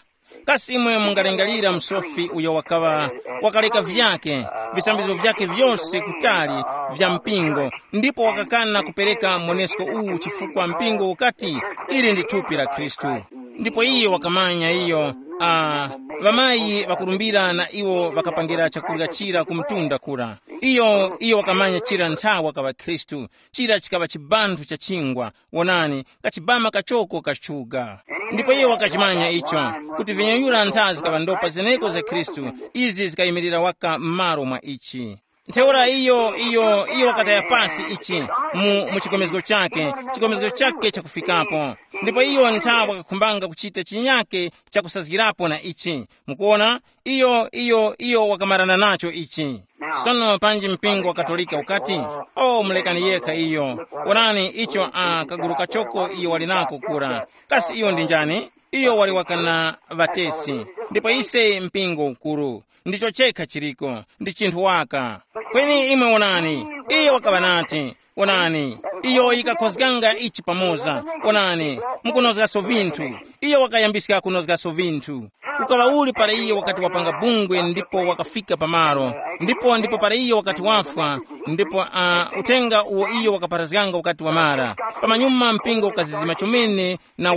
Kasi imwe mungalingalira msofi uyo wakaŵa, wakaleka vyake, visambizgo vyake vyose kutali vya mpingo, ndipo wakakana kupereka monesko uwu chifukwa mpingo ukati, ili ndi thupi la Khristu. Ndipo iye wakamanya iyo, ah, ŵamayi ŵakurumbira na iwo ŵakapangira chakurya chira ku mtunda kura. Iyo, iyo wakamanya chira nthawa kaŵa Khristu, chira chikaŵa chibanthu cha chingwa, wonani, kachibama kachoko kachuga. Ndipo iye wakachimanya icho, kuti vinyayura ntha zikaŵa ndopa zeneko za Khristu, izi zikayimirira waka m'malo mwa ichi. Ntheura iyo, iyo, iyo wakataya pasi ichi mu, mu chikomezgo chake, chikomezgo chake chakufikapo. Ndipo iyo ntha wakakhumbanga kuchita chinyake chakusazgirapo na ichi. Mukuona, iyo, iyo, iyo wakamarana nacho ichi. Sono panji mpingo wa Katolika ukati, o, mulekani yekha iyo. Onani icho a kaguru kachoko iyo wali nako kura. Kasi iyo ndi njani? Iyo wali wakana ŵatesi. Ndipo ise mpingo ukuru. Ndicho chekha chiriko. Ndi chinthu waka. Kweni imwe wonani, iyo wakaŵa nati, wonani, iyo yikakhozganga ichi pamoza. Wonani, mukunozgaso vinthu. Iyo wakayambiska kunozgaso vinthu. Kukaŵa uli para iye wakati wapanga bungwe ndipo wakafika pamalo, ndipo ndipo para iye wakati wafwa, ndipo uh, uthenga uwo iyo wakaparazganga ukati wamara. Pamanyuma mpingo ukazizima chomene na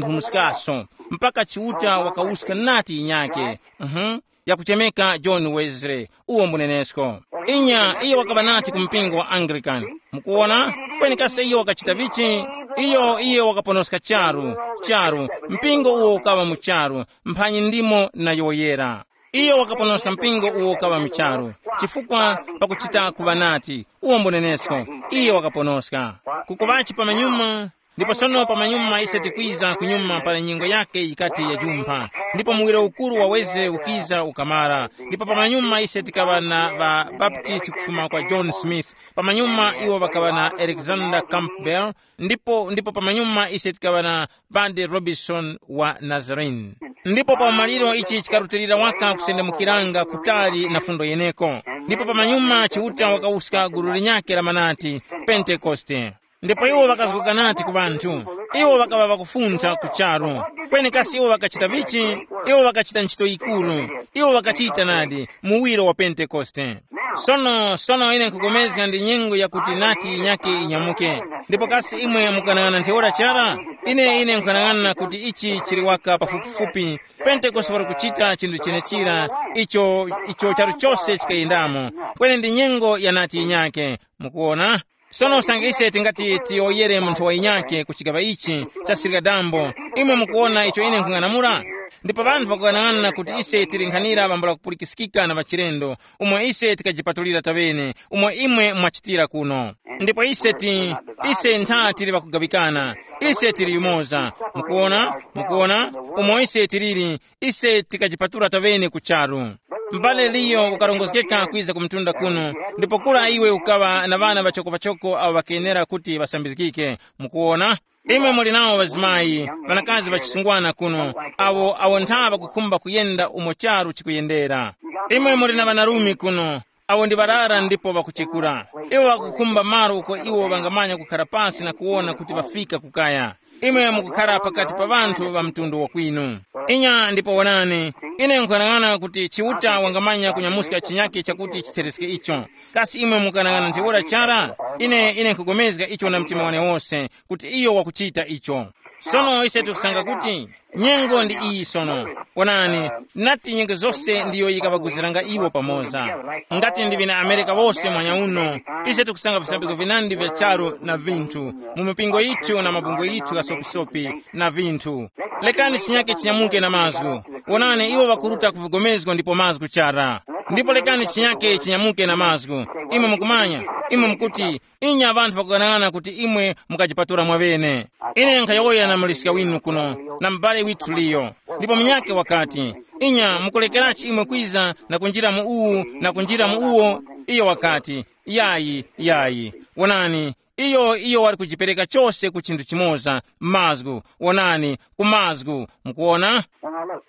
wakujitunthumuskaso, mpaka Chiuta wakawuska nati yinyake, uh-huh, yakuchemeka John Wesley, uwo mbunenesko. Inya iyo wakaŵa nati ku mpingo wa Anglican. Mukuwona? Kweni kasi iyo wakachita vichi? Iyo, iyo wakaponoska charu, charu, mpingo uwo ukaŵa mu charu, mphanyi ndimo na yoyera. Iyo wakaponoska mpingo uwo ukaŵa mu charu, chifukwa pakuchita kuŵa nati, uwo mbunenesko, iyo wakaponoska. Kukuŵachi pamanyuma, ndipo sono pamanyuma ise tikwiza kunyuma para nyengo yake yikati yajumpha, ndipo muwiro ukuru wa Wesley ukiza ukamara, ndipo pamanyuma ise tikaŵa na ŵabaptisti kufuma kwa John Smith, pamanyuma iwo ŵakaŵa na Alexander Campbell, ndipo ndipo pamanyuma ise tikaŵa na Padre Robinson wa Nazarene. Ndipo pa umaliro ichi chikarutilira waka kusendemukiranga kutali na fundo yeneko. Ndipo pamanyuma Chiuta wakawuska gulu linyakhe la manati, Pentekoste. Ndipo iwo ŵakazgoka nati ku ŵanthu. Iwo ŵakaŵa ŵakufuntha ku charu. Kweni kasi iwo ŵakachita vichi? Iwo ŵakachita ntchito yikuru. Iwo ŵakachita nadi, muwiro wa Pentekoste. Sono, sono ine nkupulikana ndi nyengo yakuti nati yinyakhe inyamuke. Ndipo kasi imwe mukanang'ana ntheura chara? Ine ine nkhanang'ana kuti ichi chili waka pafupifupi. Pentekoste wali kuchita chinthu chenechira, icho icho charu chose chikayendamo. Kweni ndi nyengo ya nati yinyake. Mukuona? Sono usange ise tingati tiyowoyere munthu wa yinyake ku chigaŵa ichi cha sirika dambo, imwe mukuwona icho ine nkhung'anamula? Ndipo ŵanthu ŵakughanag'ana kuti ise tili nkhanira ŵambula kupulikiskika na ŵachilendo, umo ise tikajipatulira taŵene, umo imwe mwachitira kuno. Ndipo ise ti, ise ntha tili ŵakugawikana, ise tili yumoza. Mukuwona? Mukuwona? Umo ise tiliri, ise tikajipatula taŵene ku charu. M'bale Liyo ukarongozgeka kwiza ku mtunda kuno, ndipo kura iwe ukaŵa na ŵana ŵachoko-ŵachoko awo ŵakenera kuti ŵasambizgike. Mukuwona? Imwe muli nawo ŵazimayi, ŵanakazi ŵachisungwana kuno, awo awo ntha ŵakukhumba kuyenda umo charu chikuyendera. Imwe muli na ŵanarume kuno, awo ndi ŵarara ndipo ŵakuchekura. Iwo ŵakukhumba malo uko iwo ŵangamanya kukhara pansi na kuwona kuti ŵafika kukaya. Imwe mukukhara pakati pa ŵanthu ŵa mtundu wakwinu. Inya ndipo wonani, ine nkuyang'ana kuti Chiuta wangamanya kunyamuska chinyake chakuti chithereske icho. Kasi imwe mukanang'ana ntheura chara? Ine ine nkugomezga icho na mtima wane wose kuti iyo wakuchita icho. Sono ise tikusanga kuti nyengo ndi iyi sono. Wonani, nati nyengo zose ndiyo yikaŵaguziranga iwo pamoza. Ngati ndivi na Amerika wose mwanya uno, ise tikusanga visambizgo vinandi vya charu na vinthu, mu mipingo yithu na mabungwe yithu ghasopisopi na vinthu. Lekani chinyake chinyamuke na mazgu. Wonani, iwo ŵakuruta ku vigomezgo ndipo mazgu chara. Ndipo lekani chinyake chinyamuke na mazgu. Imwe mukumanya, imwe mukuti, inya ŵanthu ŵakughanag'ana kuti imwe mukajipatula mwaŵene. Ine nkhayowoya na muliska winu kuno, na m'bale withu Liyo. Ndipo munyakhe wakati, inya mukulekerachi imwe kwiza na kunjira mu uwu na kunjira mu uwo? Iyo wakati, yayi, yayi. Wonani, iyo iyo wali kujipereka chose ku chinthu chimoza, mazgu. Wonani, ku mazgu. Mukuwona? Now look,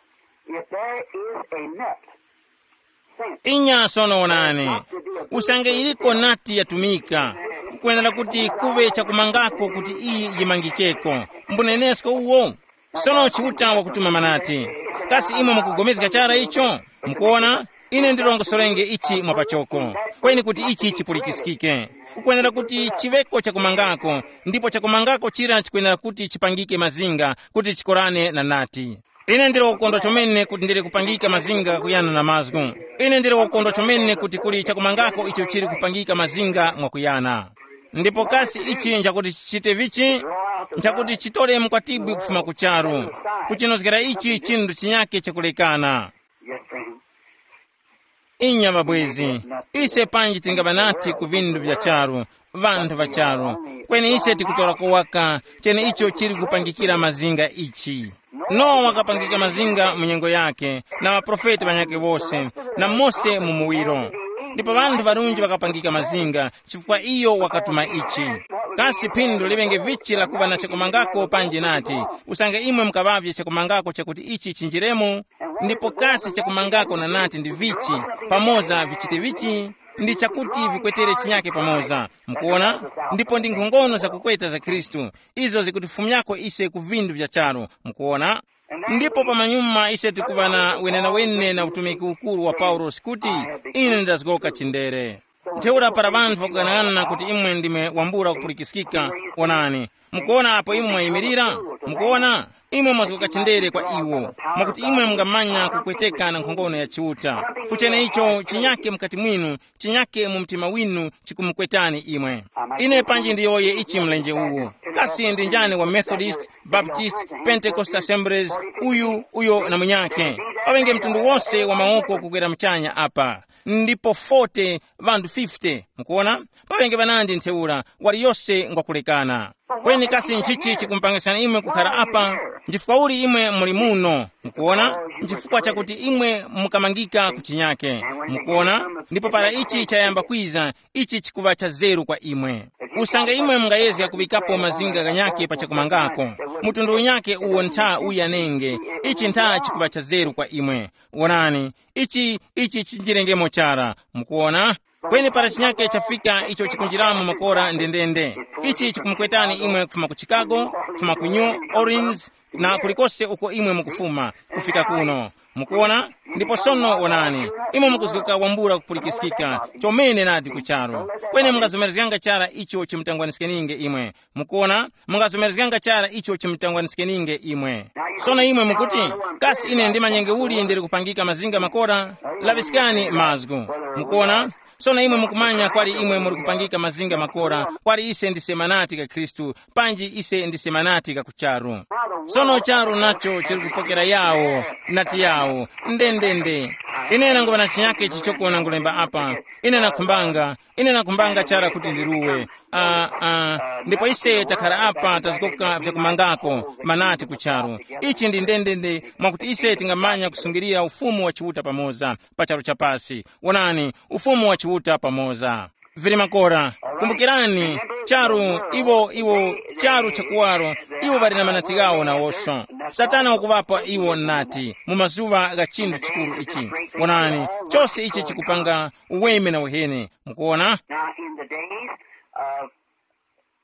if there is a net, inya sono wonani, usange iliko nati yatumika, kukwenera kuti kuve chakumangako kuti iyi yimangikeko. Mbunenesko uwo. Sono Chiuta wakutuma manati. Kasi imwe mukugomezga chara icho? Mukuona, ine ndirongosorenge ichi mwapachoko, kweni kuti ichi chipulikiskike. Kukwenera kuti chiŵeko chakumangako, ndipo chakumangako chira chikwenera kuti chipangike mazinga kuti chikorane na nati. Ine ndili wakukondwa chomene kuti ndili kupangika mazinga kuyana na mazgu. Ine ndili wakukondwa chomene kuti kuli chakumangako icho chili kupangika mazinga mwakuyana. Ndipo kasi ichi nchakuti chichite vichi? Nchakuti chitole mkwatibwi kufuma ku charu, kuchinozgera ichi chinthu chinyake chakulekana. Yes, friend. Inya mabwezi, ise panji tingaŵa nati ku vindu vya charu, vanthu va charu, kweni ise tikutora kowaka chene icho chili kupangikira mazinga ichi. Nowa wakapangika mazinga mu nyengo yake, na ŵaprofeti ŵanyakhe wose, na Mose mu muwiro. Ndipo ŵanthu ŵarunji ŵakapangika mazinga, chifukwa iyo wakatuma ichi. Kasi phindu liŵenge vichi la kuŵa na chakumangako panji nati, usange imwe mukaŵavye chakumangako chakuti ichi chinjiremo? Ndipo kasi chakumangako na nati ndi vichi, pamoza vichite vichi? Ndi chakuti vikwetere chinyake pamoza. Mukuona? Ndipo ndi nkhongono zakukweta za Khristu, izo zikutifumyako ise ku vindu vya charu. Mukuona? Ndipo pamanyuma ise tikuŵa na wenenawene na utumiki ukuru wa Paulosi kuti, ine ndazgoka chindere. Ntheura para ŵanthu ŵakughanaghanana kuti imwe ndimwe wambula kupulikiskika, onani, mukuona apo imwe mwayimirira? Mukuona? Imwe mwazgoka chindere kwa iwo, mwakuti imwe mungamanya kupweteka na nkhongono ya Chiuta. Kuchene icho chinyake mukati mwinu, chinyake mu mtima winu chikumukwetani imwe. Ine panji ndiyowoye ichi mlenje uwu. Kasi ndi njani wa Methodist, Baptist, Pentecost Assemblies, uyu, uyo na munyakhe? Paŵenge mtundu wose wa mawoko kukwera muchanya apa. Ndipo forty, ŵanthu fifty. Mukuona? Paŵenge ŵanandi ntheura, waliyose ngwakulekana. Kweni kasi nchichi chikumupangisani imwe kukhara apa? Nchifukwa uli imwe muli muno? Mukuona? Nchifukwa chakuti imwe mukamangika ku chinyake. Mukuona? Ndipo para ichi chayamba kwiza, ichi chikuŵa cha zeru kwa imwe. Usange imwe mungayezga kuŵikapo mazinga ghanyakhe pa chakumangako, mtundu unyakhe uwo ntha uyanenge, ichi ntha chikuŵa cha zeru kwa imwe. Wonani, ichi, ichi chinjirengemo chara. Mukuona? Kweni para chinyake chafika icho chikunjiramo makora ndendende, ichi chikumukwetani imwe kufuma ku Chicago, kufuma ku New Orleans, na kulikose uko imwe mukufuma, kufika kuno. Mukuona? Ndipo sono wonani, imwe mukuzgoka wambula kupulikiskika chomene nadi ku charu. Kweni mungazomerezganga chara icho chimutangwaniskeninge imwe. Mukuona? Mungazomerezganga chara icho chimutangwaniskeninge imwe. Sono imwe mukuti, kasi ine ndimanyenge uli ndili kupangika mazinga makora? Laŵiskani mazgu. Mukuona? Sono imwe mukumanya kwali imwe muli kupangika mazinga makora, kwali ise ndise manati ka Khristu, panji ise ndise manati ka kucharu. Sono charu nacho chili kupokera yawo, nati yawo, ndendende. Ine nanguŵa na chinyake chichoko nangulemba apa. Ine nakhumbanga, ine nakhumbanga chara kuti ndiruwe. Ah, ah, ndipo ise takhala apa tazgoka vyakumangako manati ku charu. Ichi ndi ndendende mwakuti ise tingamanya kusungirira ufumu wa Chiuta pamoza pa charu chapasi. Wonani, ufumu wa Chiuta pamoza. Vili makora, kumbukirani, charu, iwo, iwo, charu chakuwaro, iwo ŵali na manati ghawo nawoso. Satana wakuŵapa iwo nati mu mazuŵa gha chinthu chikuru ichi. Wonani, chose ichi chikupanga uweme na uheni. Mukuona? Now, in the days of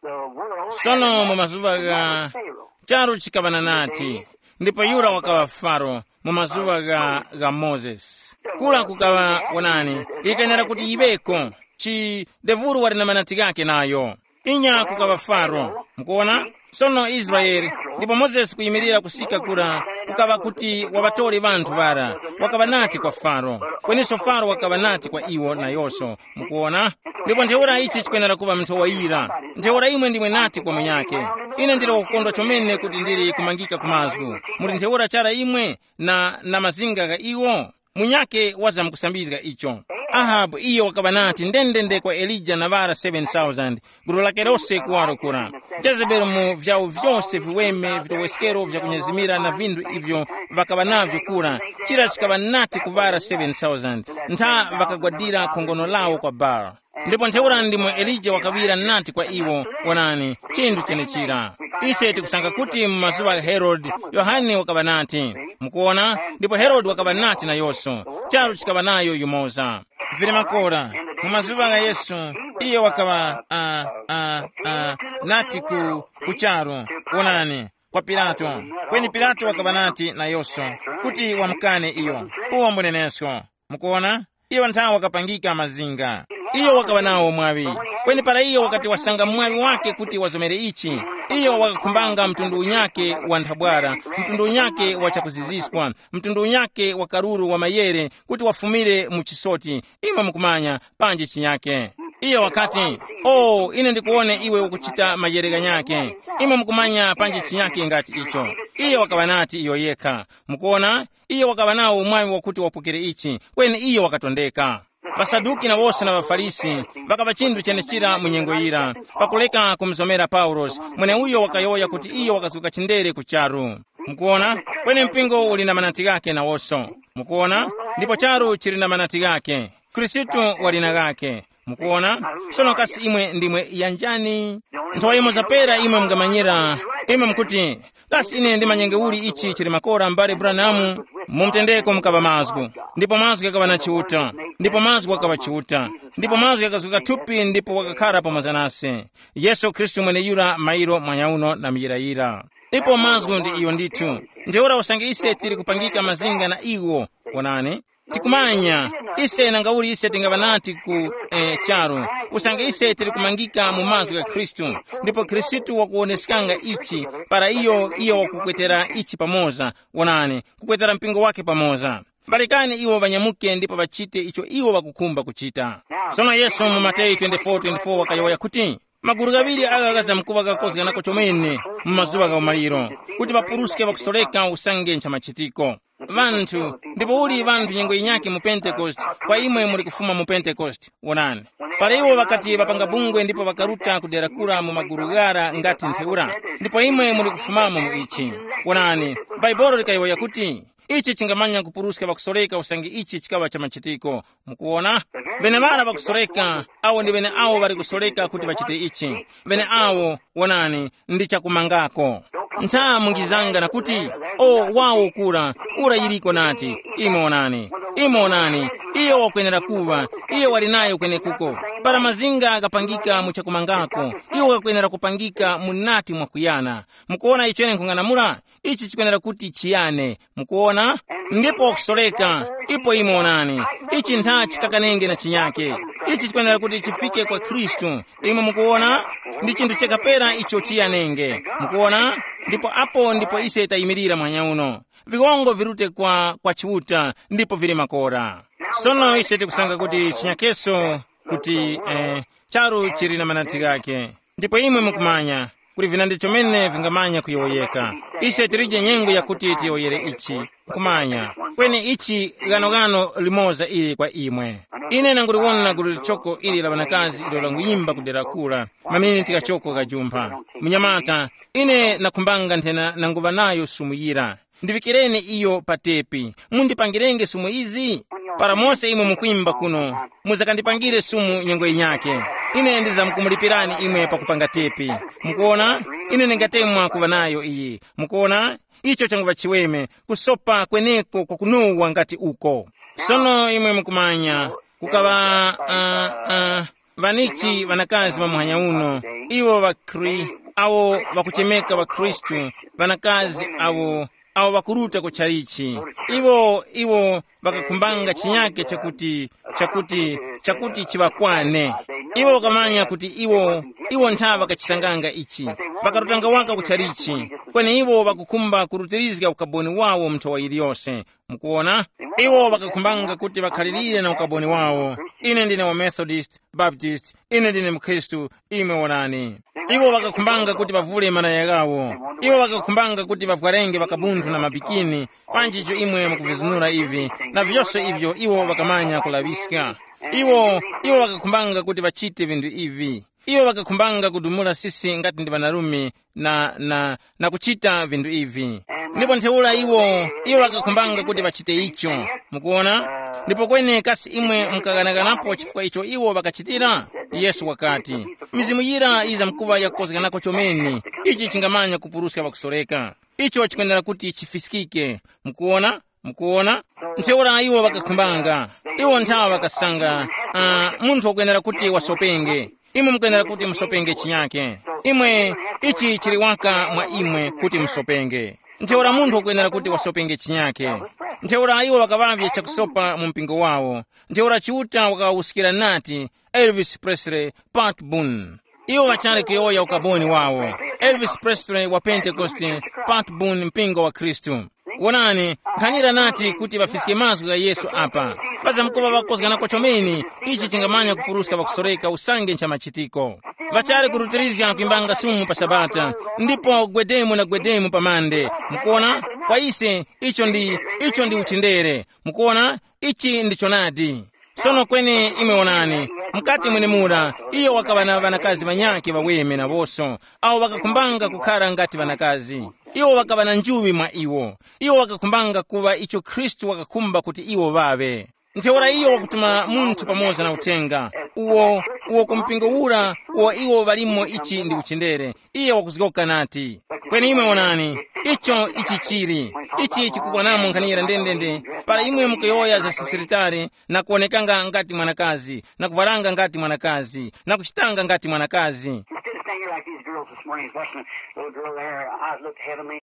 the world, sono mu mazuŵa gha Pharaoh. Charu chikaŵa na nati, ndipo yura wakaŵa Faro mu mazuŵa gha, gha Mozesi. Kula kukaŵa, wonani, ikenera kuti yiŵeko. Chi devuru wali na manati ghake nayo. Inya kukaŵa Faro. Mukuona? Sono Israeli, ndipo Mozesi kuyimirira kusika kura, kukaŵa kuti waŵatore ŵanthu ŵara. Wakaŵa nati kwa Faro. Kweninso Faro wakaŵa nati kwa iwo nayoso. Mukuona? Ndipo ntheura ichi chikwenera kuŵa mnthowa yira. Ntheura imwe ndimwe nati kwa munyake, ine ndili wakukondwa chomene kuti ndili kumangika ku mazgu. Muli ntheura chara imwe na, na mazinga gha iwo? Munyake wazamkusambizga icho. Ahabu iyo wakaŵa nati ndendende kwa Elija na ŵara seven thousand, gulu lake lose kuwaro kura. Jezebeli mu vyawo vyose viweme vitoweskero vyakunyezimira na vinthu ivyo ŵakaŵa navyo kura, chira chikaŵa nati ku ŵara seven thousand, ntha ŵakagwadira khongono lawo kwa Baal. Ndipo ntheura ndimo Elija wakaŵira nati kwa iwo, wonani, chinthu chenechira. Ise tikusanga kuti mu mazuŵa gha Herode, Yohane wakaŵa nati. Mukuona? Ndipo Herode wakaŵa nati nayoso. Charu chikaŵa nayo yumoza. Vili makora, mu mazuŵa gha Yesu, iyo wakaŵa, uh, uh, uh, nati ku, ku charu, wonani, kwa Pilato. Kweni Pilato wakaŵa nati nayoso, kuti wamukane iyo. Uwo mbunenesko. Mukuona? Iyo nthawe wakapangika mazinga. Iyo wakaŵa nawo mwaŵi. Kweni para iyo wakati wasanga mwaŵi wake kuti wazomere ichi, iyo wakakhumbanga mtundu unyake wa nthabwara, mtundu unyake wa chakuziziswa, mtundu unyake wa karuru wa mayere kuti wafumire mu chisoti. Imwe mukumanya, panji chinyake. Iyo wakati, o, ine ndikuwone iwe ukuchita mayere ghanyake. Imwe mukumanya panji chinyake ngati icho. Iyo wakaŵa nati iyo yekha. Mukuona? Iyo wakaŵa nawo umwaŵi wakuti wapokere ichi, kweni iyo wakatondeka. Ŵasaduki na wose na ŵaFarisi ŵakaŵa chinthu chenechira mu nyengo yira, pakuleka kumuzomera Paulosi, mweneuyo wakayowoya kuti iyo wakazguka chindere ku charu. Mukuona? Kweni mpingo uli na manati ghake nawoso. Mukuona? Ndipo charu chili na manati ghake. Khristu wali na ghake. Mukuona? Sono kasi imwe ndimwe yanjani? Nthowa imo zapera imwe mungamanyira, imwe mukuti, kasi ine ndimanyenge uli ichi chili makora mbale Branham? Mu mtendeko mukaŵa mazgu, ndipo mazgu ghakaŵa na Chiuta, ndipo mazgu ghakaŵa Chiuta, ndipo mazgu ghakazguka thupi ndipo wakakhara pamoza nase. Yesu Khristu mweneyura mairo mwanyauno na muyirayira. Ipo mazgu ndi iyo ndithu. Ntheura usange ise tili kupangika mazinga na iwo, wonani, tikumanya, ise nangauli ise tingaŵa nati ku, eh, charu, usange ise tili kumangika mu mazgu gha Khristu, ndipo Khristu wakuwoneskanga ichi, para iyo, iyo wakukwetera ichi pamoza, wonani, kukwetera mpingo wake pamoza. Balekani iwo ŵanyamuke ndipo ŵachite icho iwo ŵakukhumba kuchita. Sono Yesu mu Mateyu twenty-four twenty-four wakayowoya kuti, magulu ghaŵiri agha ghazamkuŵa ghakozganako chomene mu mazuŵa gha umaliro, kuti ŵapuruske ŵakusoreka usange ncha machitiko. Ŵanthu, ndipo uli ŵanthu nyengo yinyakhe mu Pentekoste, kwa imwe muli kufuma mu Pentekoste. Wonani, para iwo ŵakati ŵapanga bungwe ndipo ŵakaruta kudera kura mu magulu ghara ngati ntheura, ndipo imwe muli kufumamo mu ichi. Wonani, Bhaibuli likayowoya kuti, ichi chingamanya kupuruska ŵakusoreka usange ichi chikaŵa cha machitiko. Mukuwona? Ŵeneŵara ŵakusoreka, awo ndi ŵeneawo ŵali kusoreka kuti ŵachite ichi. Ŵeneawo, wonani, ndi chakumangako. Ntha mungizanga na kuti, o, wawo kura, kura yiliko nati, imwe onani, imwe onani, iyo wakwenera kuŵa, iyo wali nayo kwenekuko. Para mazinga akapangika mu chakumangako, iwo ghakwenera kupangika mu nati mwakuyana. Mukuwona icho ine nkhung'anamula? Ichi chikwenera kuti chiyane. Mukuwona? Ndipo kusoreka, ipo imwe onani, ichi ntha chikakanenge na chinyake. Ichi chikwenera kuti chifike kwa Khristu. Imwe mukuwona? Ndi chinthu chakapera icho chiyanenge. Mukuwona? Ndipo apo ndipo ise tayimirira mwanya uno. Viwongo virute kwa, kwa Chiuta, ndipo vili makora. Sono ise tikusanga kuti chinyakeso kuti, eh, charu chili na manati ghake. Ndipo imwe mukumanya, kuli vinandi chomene vingamanya kuyowoyeka. Ise tilije nyengo yakuti tiyowoyere ichi, nkhumanya. Kweni ichi ghanoghano limoza ili kwa imwe. Ine nanguliwona gulu lichoko ili la ŵanakazi ilo languyimba kudera kura, maminiti ghachoko ghajumpha. Munyamata, ine nakhumbanga nthena nanguŵa nayo sumu yira. Ndivikireni iyo pa tepi. Mundipangirenge sumu izi? Para mose imwe mukwimba kuno, muzakandipangire sumu nyengo yinyake. Ine ndizamkumulipirani imwe pakupanga tepi. Mukuona? Ine ndingatemwa kuva nayo iyi. Mukuona? Icho changuva chiweme, kusopa kweneko kwakunowa ngati uko. Sono imwe mukumanya, kukaŵa uh, uh, vanichi vanakazi va muhanya uno, iwo ŵakhri awo ŵakuchemeka ŵakhristu, vanakazi awo awo ŵakuruta ku chalichi. Iwo iwo ŵakakhumbanga chinyake chakuti chakuti chakuti chiŵakwane. Iwo ŵakamanya kuti iwo iwo ntha ŵakachisanganga ichi. Ŵakarutanga waka ku chalichi, kweni iwo ŵakukhumba kurutirizga ukaboni wawo mu nthowa yiliyose. Mukuwona? Iwo ŵakakhumbanga kuti ŵakhalirire na ukaboni wawo. Ine ndine wa Methodist, Baptist, ine ndine mkhristu. Imwe wonani, iwo ŵakakhumbanga kuti ŵavule malaya ghawo. Iwo ŵakakhumbanga kuti ŵavwarenge ŵakabunthu na mabikini. Panji icho imwe mukuvizunura ivi na vyose ivyo iwo ŵakamanya kulaŵiska. Iwo iwo ŵakakhumbanga kuti ŵachite vinthu ivi. Iwo ŵakakhumbanga kudumula sisi ngati ndi ŵanarume na, na, na kuchita vinthu ivi. Ndipo ntheura iwo iwo ŵakakhumbanga kuti ŵachite icho. Mukuona? Ndipo kweni kasi imwe mukaghanaghanapo chifukwa icho iwo ŵakachitira? Yesu wakati, mizimu yira yizamkuŵa yakukozganako chomene. Ichi chingamanya kupuruska ŵakusoreka. Icho chikwenera kuti chifiskike. Mukuona? Mukuona? Ntheura iwo ŵakakhumbanga. Iwo nthawa ŵakasanga, uh, munthu wakwenera kuti wasopenge. Imwe mukwenera kuti musopenge chinyake. Imwe, ichi chili waka mwa imwe kuti musopenge. Ntheura munthu wakwenera kuti wasopenge chinyake. Ntheura iwo ŵakaŵavye chakusopa mu mpingo wawo. Ntheura Chiuta wakawawuskira nati, Elvis Presley, Pat Boone. Iwo ŵachali kuyowoya ukaboni wawo. Elvis Presley wa Pentekoste, Pat Boone mpingo wa Khristu. Wonani, nkhanira nati kuti ŵafiske mazgu gha Yesu apa. Pazamkuŵa ŵakozganako chomene, ichi chingamanya kupuruska ŵakusoreka usange ncha machitiko. Ŵachali kurutirizga kwimbanga sumu pa Sabata, ndipo gwedemu na gwedemu pa mande. Mukuona? Kwa ise, icho ndi, icho ndi uchindere. Mukuona? Ichi ndi chonadi. Sono kweni imwe wonani, mukati mwenemura, iyo wakaŵa na ŵanakazi ŵanyakhe ŵaweme nawonso, awo ŵakakhumbanga kukhara ngati ŵanakazi. Iwo ŵakaŵa na njuŵi mwa iwo. Iwo ŵakakhumbanga kuŵa icho Khristu wakakhumba kuti iwo ŵaŵe. Ntheura iyo wakutuma munthu pamoza na uthenga uwo, uwo ku mpingo ura uwo iwo ŵalimo ichi ndi uchindere. Iye wakuzgoka nati, kweni imwe wonani, icho ichi chili, ichi chikukwanamo nkhanira ndendende. Para imwe mukuyowoya za sisiritali, na kuwonekanga ngati mwanakazi, na kuvwaranga ngati mwanakazi, na kuchitanga ngati mwanakazi. Instead of standing here like these girls this morning, watching the little girl there, her eyes looked heavenly.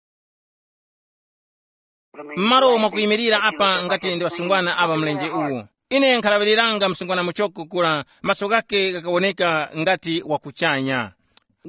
M'malo mwakuyimirira apa ngati ndi ŵasungwana aŵa mlenje uwu, ine nkhalaŵiriranga msungwana muchoko kura, maso ghake ghakawoneka ngati wakuchanya,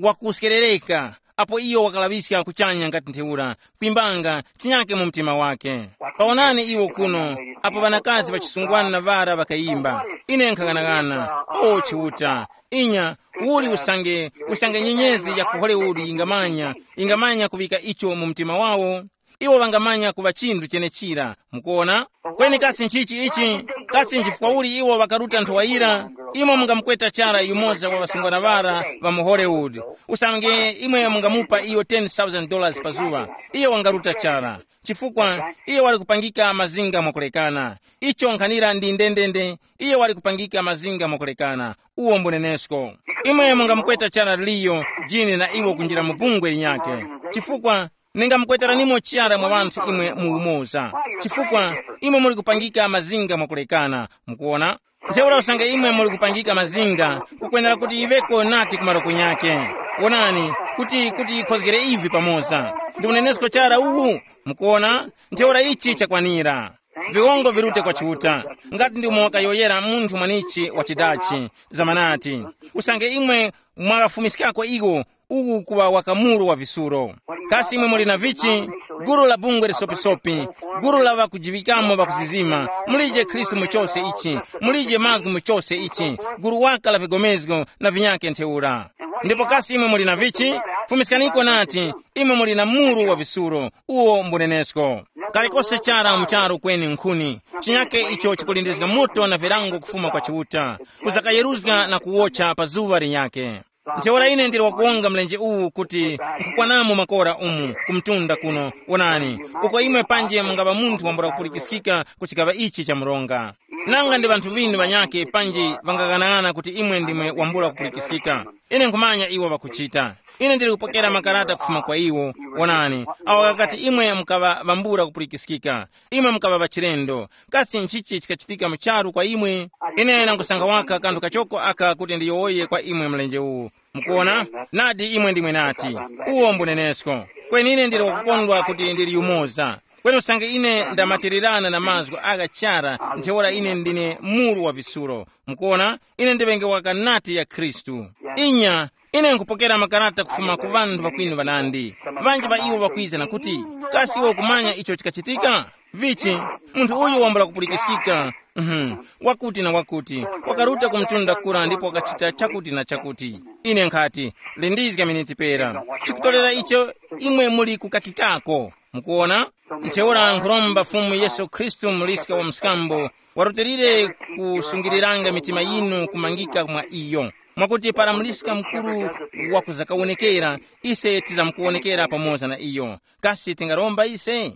wakuskerereka. Apo iyo wakalaŵiska kuchanya ngati ntheura, kwimbanga chinyake mu mtima wake. Pawonani iwo kuno, apo ŵanakazi ŵachisungwana na ŵara ŵakayimba, ine nkhang'anang'ana. O Chiuta, inya, uli usange, usange nyenyezi ya ku Hollywood yingamanya, yingamanya kuŵika icho mu mtima wawo? Iwo ŵangamanya kuŵa chinthu chenechira. Mukuona? Kweni kasi nchichi ichi? Kasi nchifukwa uli iwo ŵakaruta nthowa yira? Imwe mungamukweta chara yumoza wa ŵasungwana ŵara ŵa mu Hollywood. Usange imwe mungamupa iyo ten thousand dollars pa zuŵa, iyo wangaruta chara. Chifukwa iyo wali kupangika mazinga mwakulekana. Icho nkhanira ndi ndendende, iyo wali kupangika mazinga mwakulekana. Uwo mbunenesko. Imwe mungamukweta chara Liyo, Jini na iwo kunjira mu bungwe linyakhe. Chifukwa Ningamukweteranimo chara mwa ŵanthu imwe mu umoza, chifukwa imwe muli kupangika mazinga mwakulekana. Mukuona? Ntheura usange imwe muli kupangika mazinga, kukwenera kuti yiŵeko nati kumaro kunyake. Wonani, kuti kuti yikhozgere ivi pamoza. Ndi unenesko chara uwu. Mukuona? Ntheura ichi chakwanira. Viwongo virute kwa Chiuta. Ngati ndi umo wakayoyera munthu mwanichi wa chidachi, zamanati, usange imwe mwakafumiskako iwo, uwu kuŵa wakamuru wa visuro. Kasi imwe muli na vichi? Guru la bungwe lisopisopi, guru la ŵakujiŵikamo ŵakuzizima, mulije Khristu mu chose ichi, mulije mazgu mu chose ichi, guru waka la vigomezgo na vinyake ntheura. Ndipo kasi imwe muli na vichi? Fumiskaniko nati, imwe muli na muru wa visuro, uwo mbunenesko. Kalikose chara mu charu kweni nkhuni, chinyake icho chikulindizga moto na virango kufuma kwa Chiuta, kuzakayeruzga na kuwotcha pa zuŵa linyake. Ntheura ine ndili wakuwonga mlenje uwu kuti nkhukwanamo makora umu kumtunda kuno, wonani, uko imwe panje mungaŵa munthu wambula kupulikiskika ku chigaŵa ichi cha mronga. Nanga ndi ŵanthu ŵinu ŵanyakhe panji ŵangaghanag'ana kuti imwe ndimwe wambula kupulikiskika? Ine nkhumanya iwo ŵakuchita. Ine ndili kupokera makarata kufuma kwa iwo. Wonani, awo ghakati imwe mukaŵa ŵambula kupulikiskika, imwe mukaŵa ŵachilendo. Kasi nchichi chikachitika mu charu kwa imwe? Ine nangusanga waka kanthu kachoko aka kuti ndiyowoye kwa imwe mlenje uwu. Mukuona? Nadi imwe ndimwe nati, uwo mbunenesko. Kweni ine ndili wakukondwa kuti ndili yumoza. Kweni usange ine ndamatirirana na mazgu agha chara, ntheura ine ndine muru wa visulo. Mukuona? Ine ndiŵenge wakanati ya Khristu. Inya, ine nkupokera makarata kufuma ku ŵanthu ŵakwinu ŵanandi. Ŵanji ŵa iwo ŵakwiza na kuti, kasi iwe ukumanya icho chikachitika? Vichi, munthu uyu wambula kupulikiskika. Mhm. Wakuti na wakuti, wakaruta ku mtunda kura ndipo wakachita chakuti na chakuti. Ine nkhati, lindizga miniti pera. Chikutolera icho imwe muli kukakikako. Mukuona? Ntheura nkhuromba Fumu Yesu Khristu muliska wa mskambo, warutilire kusungiriranga mitima yinu kumangika mwa iyo. Mwakuti para muliska mukuru wakuzakawonekera, ise tizamkuwonekera pamoza na iyo. Kasi tingaromba ise?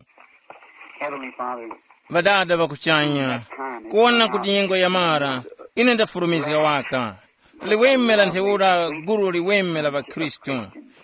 Heavenly Father, Ŵadada ŵakuchanya, kuwona kuti nyengo yamara, ine ndafulumizga waka. Liweme la ntheura gulu liweme la ŵakhristu,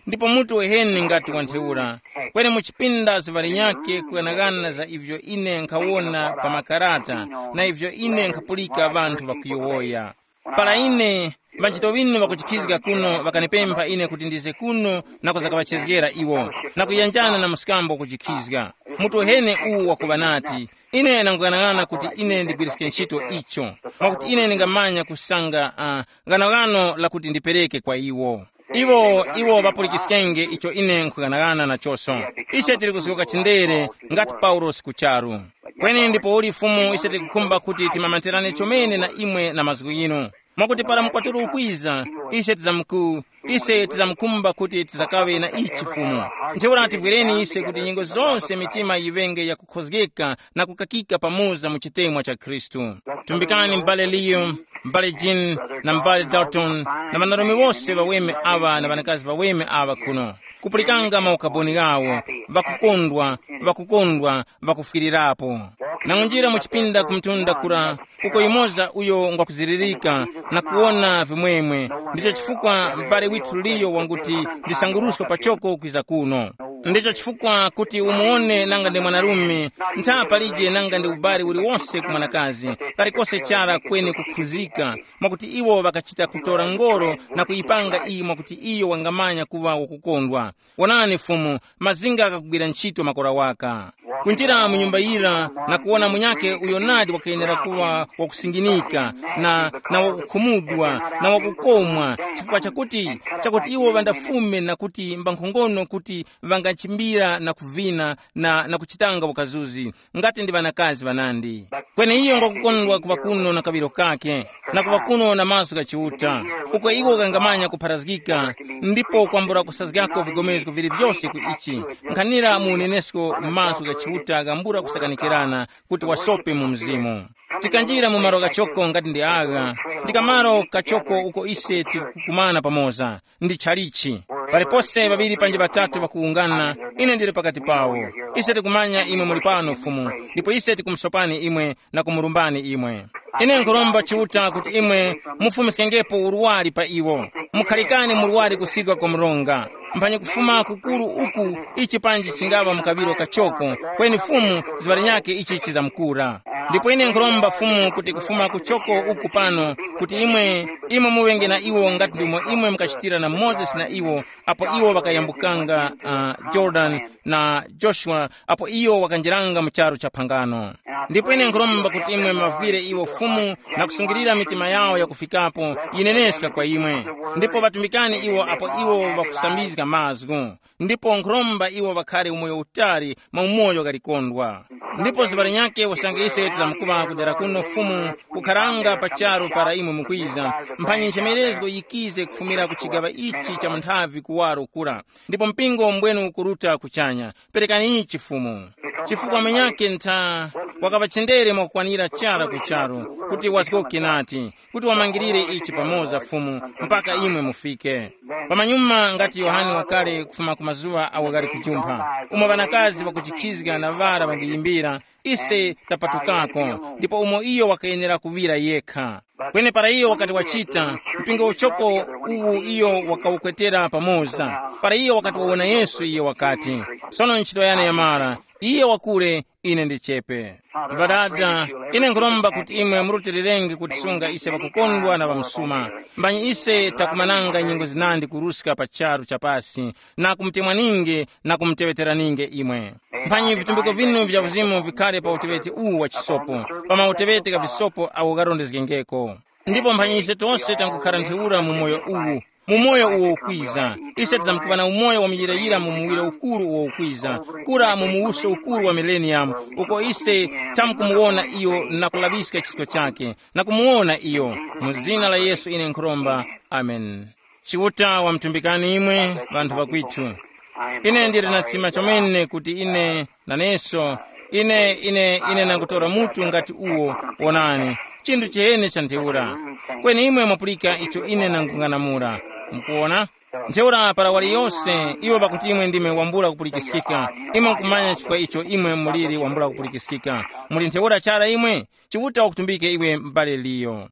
ndipo mutu weheni ngati wa ntheura, kweni mu chipinda zuŵa linyakhe kughanaghana za ivyo ine nkhawona pa makarata na ivyo ine nkhapulika ŵanthu ŵakuyowoya. Para ine, ŵanchito ŵinu ŵakuchikhizga kuno ŵakanipempha ine kuti ndize kuno na kuzakaŵachezgera iwo, na kuyanjana na mskambo kuchikhizga. Mutu wehene uwu wakuŵa nati, ine nanguyang'ana kuti ine ndigwiriske ntchito icho, mwakuti ine ndingamanya kusanga uh, ghanaghano lakuti ndipereke kwa iwo. Iwo iwo ŵapulikiskenge icho ine nkhughanagana nachoso. Ise tili kuzgoka chindere ngati Paulosi ku charu. Kweni ndipouli Fumu, ise tikukhumba kuti timamatirane chomene na imwe na mazgu yinu. Mwakuti para mkwatulo ukwiza, ise tizamku ise tizamkumba kuti tizakaŵe na ichi Fumu. Ntheura tivwereni ise kuti nyengo zonse mitima yiŵenge yakukhozgeka na kukakika pamoza mu chitemwa cha Khristu. Tumbikani m'bale Liyo, m'bale Jean, na m'bale Dalton, na ŵanarume wose ŵaweme aŵa na ŵanakazi ŵaweme aŵa kuno, kupulikanga maukaboni ghawo, ŵakukondwa, ŵakukondwa, ŵakufwirirapo. Nangunjira mu chipinda ku mtunda kura, uko yumoza uyo ngwakuziririka na kuwona vimwemwe. Ndicho chifukwa m'bale withu Liyo wanguti ndisanguruske pachoko kwiza kuno. Ndicho chifukwa kuti umuwone nanga ndi mwanarume, ntha palije nanga ndi ubali uliwonse ku mwanakazi, kalikose chara kweni kukhuzika, mwakuti iwo ŵakachita kutora ngoro na kuyipanga iyi mwakuti iyo wangamanya kuŵa wakukondwa. Wonani Fumu, mazinga ghakugwira ntchito makora waka. Kunjira mu nyumba yira na kuwona munyakhe uyo nadi wakayenera kuŵa wakusinginika, na, na wakukhumudwa, na wakukomwa, chifukwa chakuti, chakuti iwo ŵandafume na kuti mbankhongono kuti ŵangachimbira na kuvina na, na kuchitanga ukazuzi, ngati ndi ŵanakazi ŵanandi. Kweni iyo ngwakukondwa kuŵa kuno na kaŵiro kake, na kuŵa kuno na maso gha Chiuta, uko iwo ghangamanya kupharazgika, ndipo kwambula kusazgako vigomezgo vili vyose ku ichi, nkhanira mu unenesko maso gha Chiuta ghambula kusakanikirana kuti wasope mu mzimu. Tikanjira mu malo ghachoko ngati ndi agha, ndi kamaro kachoko uko ise tikukumana pamoza. Ndi chalichi. Palipose ŵaŵiri panji ŵatatu ŵakuwungana, ine ndili pakati pawo. Ise tikumanya imwe muli pano Fumu, ndipo ise tikumusopani imwe na kumulumbani imwe. Ine nkhuromba Chiuta kuti imwe mufumiskengepo urwari pa iwo. Mukhalikane murwari kusigwa kwa mronga. Mphanyi kufuma kukuru uku, ichi panji chingaŵa mukaŵiro kachoko, kweni Fumu zuŵa linyakhe ichi chizamkura. Ndipo ine nkhuromba Fumu kuti kufuma kuchoko uku pano, kuti imwe, imwe muŵenge na iwo ngati ndimo imwe mukachitira na Mozesi na iwo, apo iwo ŵakayambukanga uh, Jordan na Joshua, apo iyo wakanjeranga mu charu cha phangano. Ndipo ine nkhuromba kuti imwe mavwire iwo Fumu na kusungilira mitima yawo yakufikapo yineneska kwa imwe. Ndipo ŵatumbikani iwo apo iwo ŵakusambizga mazgu. Ndipo nkhuromba iwo ŵakhare umoyo utali mwa umoyo ghalikondwa. Ndipo zuŵa linyakhe usange ise tizamkuŵa kudera kuno Fumu, kukharanga pa charu para imwe mukwiza, mphanyi nchemerezgo yikize kufumira ku chigaŵa ichi cha munthavi kuwaro kura. Ndipo mpingo mbwenu ukuruta kuchanya. Perekani chifumu. Chifukwa mwenyake ntha wakaŵa chendere mwakukwanira chara ku charu, kuti wazgoke nati, kuti wamangirire ichi pamoza Fumu, mpaka imwe mufike. Pamanyuma ngati Yohane wakale kufuma ku mazuŵa awo ghali kujumpha, umo ŵanakazi ŵakuchikhizga na ŵara ŵanguyimbira, ise tapatukako, ndipo umo iyo wakayenera kuŵira yekha. Kweni para iyo wakati wachita, mpingo uchoko uwu iyo wakawukwetera pamoza. Para iyo wakati wawona Yesu, iyo wakati, sono ntchito yane yamara. Iye wakule, ine ndichepe. Ŵadada, ine nkhuromba kuti imwe murutilirenge kutisunga ise ŵakukondwa na ŵamsuma. Mbanyi ise takumananga nyengo zinandi kuruska pa charu cha pasi, na kumutemwaninge na kumuteŵeteraninge imwe. Mphanyi vitumbiko vinu vya uzimu vikhale pa utewete uwu wa chisopo, pa mautewete gha visopo awo gharondezgengeko. Ndipo mphanyi ise tose tankukhara ntheura mu moyo uwu, mu moyo uwo ukwiza, ise tizamkuŵa na umoyo wa muyirayira mu muwiro ukuru uwo ukwiza, kura mu muwuso ukuru wa mileniyamu, uko ise tamkumuwona iyo na kulaŵiska chisko chake, na kumuwona iyo. Mu zina la Yesu ine nkhuromba. Amen. Chiuta wamtumbikani imwe, ŵanthu ŵakwitu. Ine ndili na tsima chomene kuti ine naneso, ine ine ine nangutora mutu ngati uwo. Wonani, chinthu chiheni cha ntheura. Kweni imwe mwapulika icho ine nangung'anamula. Mukuwona? Ntheura para wali yose iwo pakuti imwe ndime wambula kupulikiskika, imwe nkumanya chifukwa icho imwe muliri wambula kupulikiskika. Muli ntheura chara imwe. Chiuta wakutumbike iwe m'bale liyo.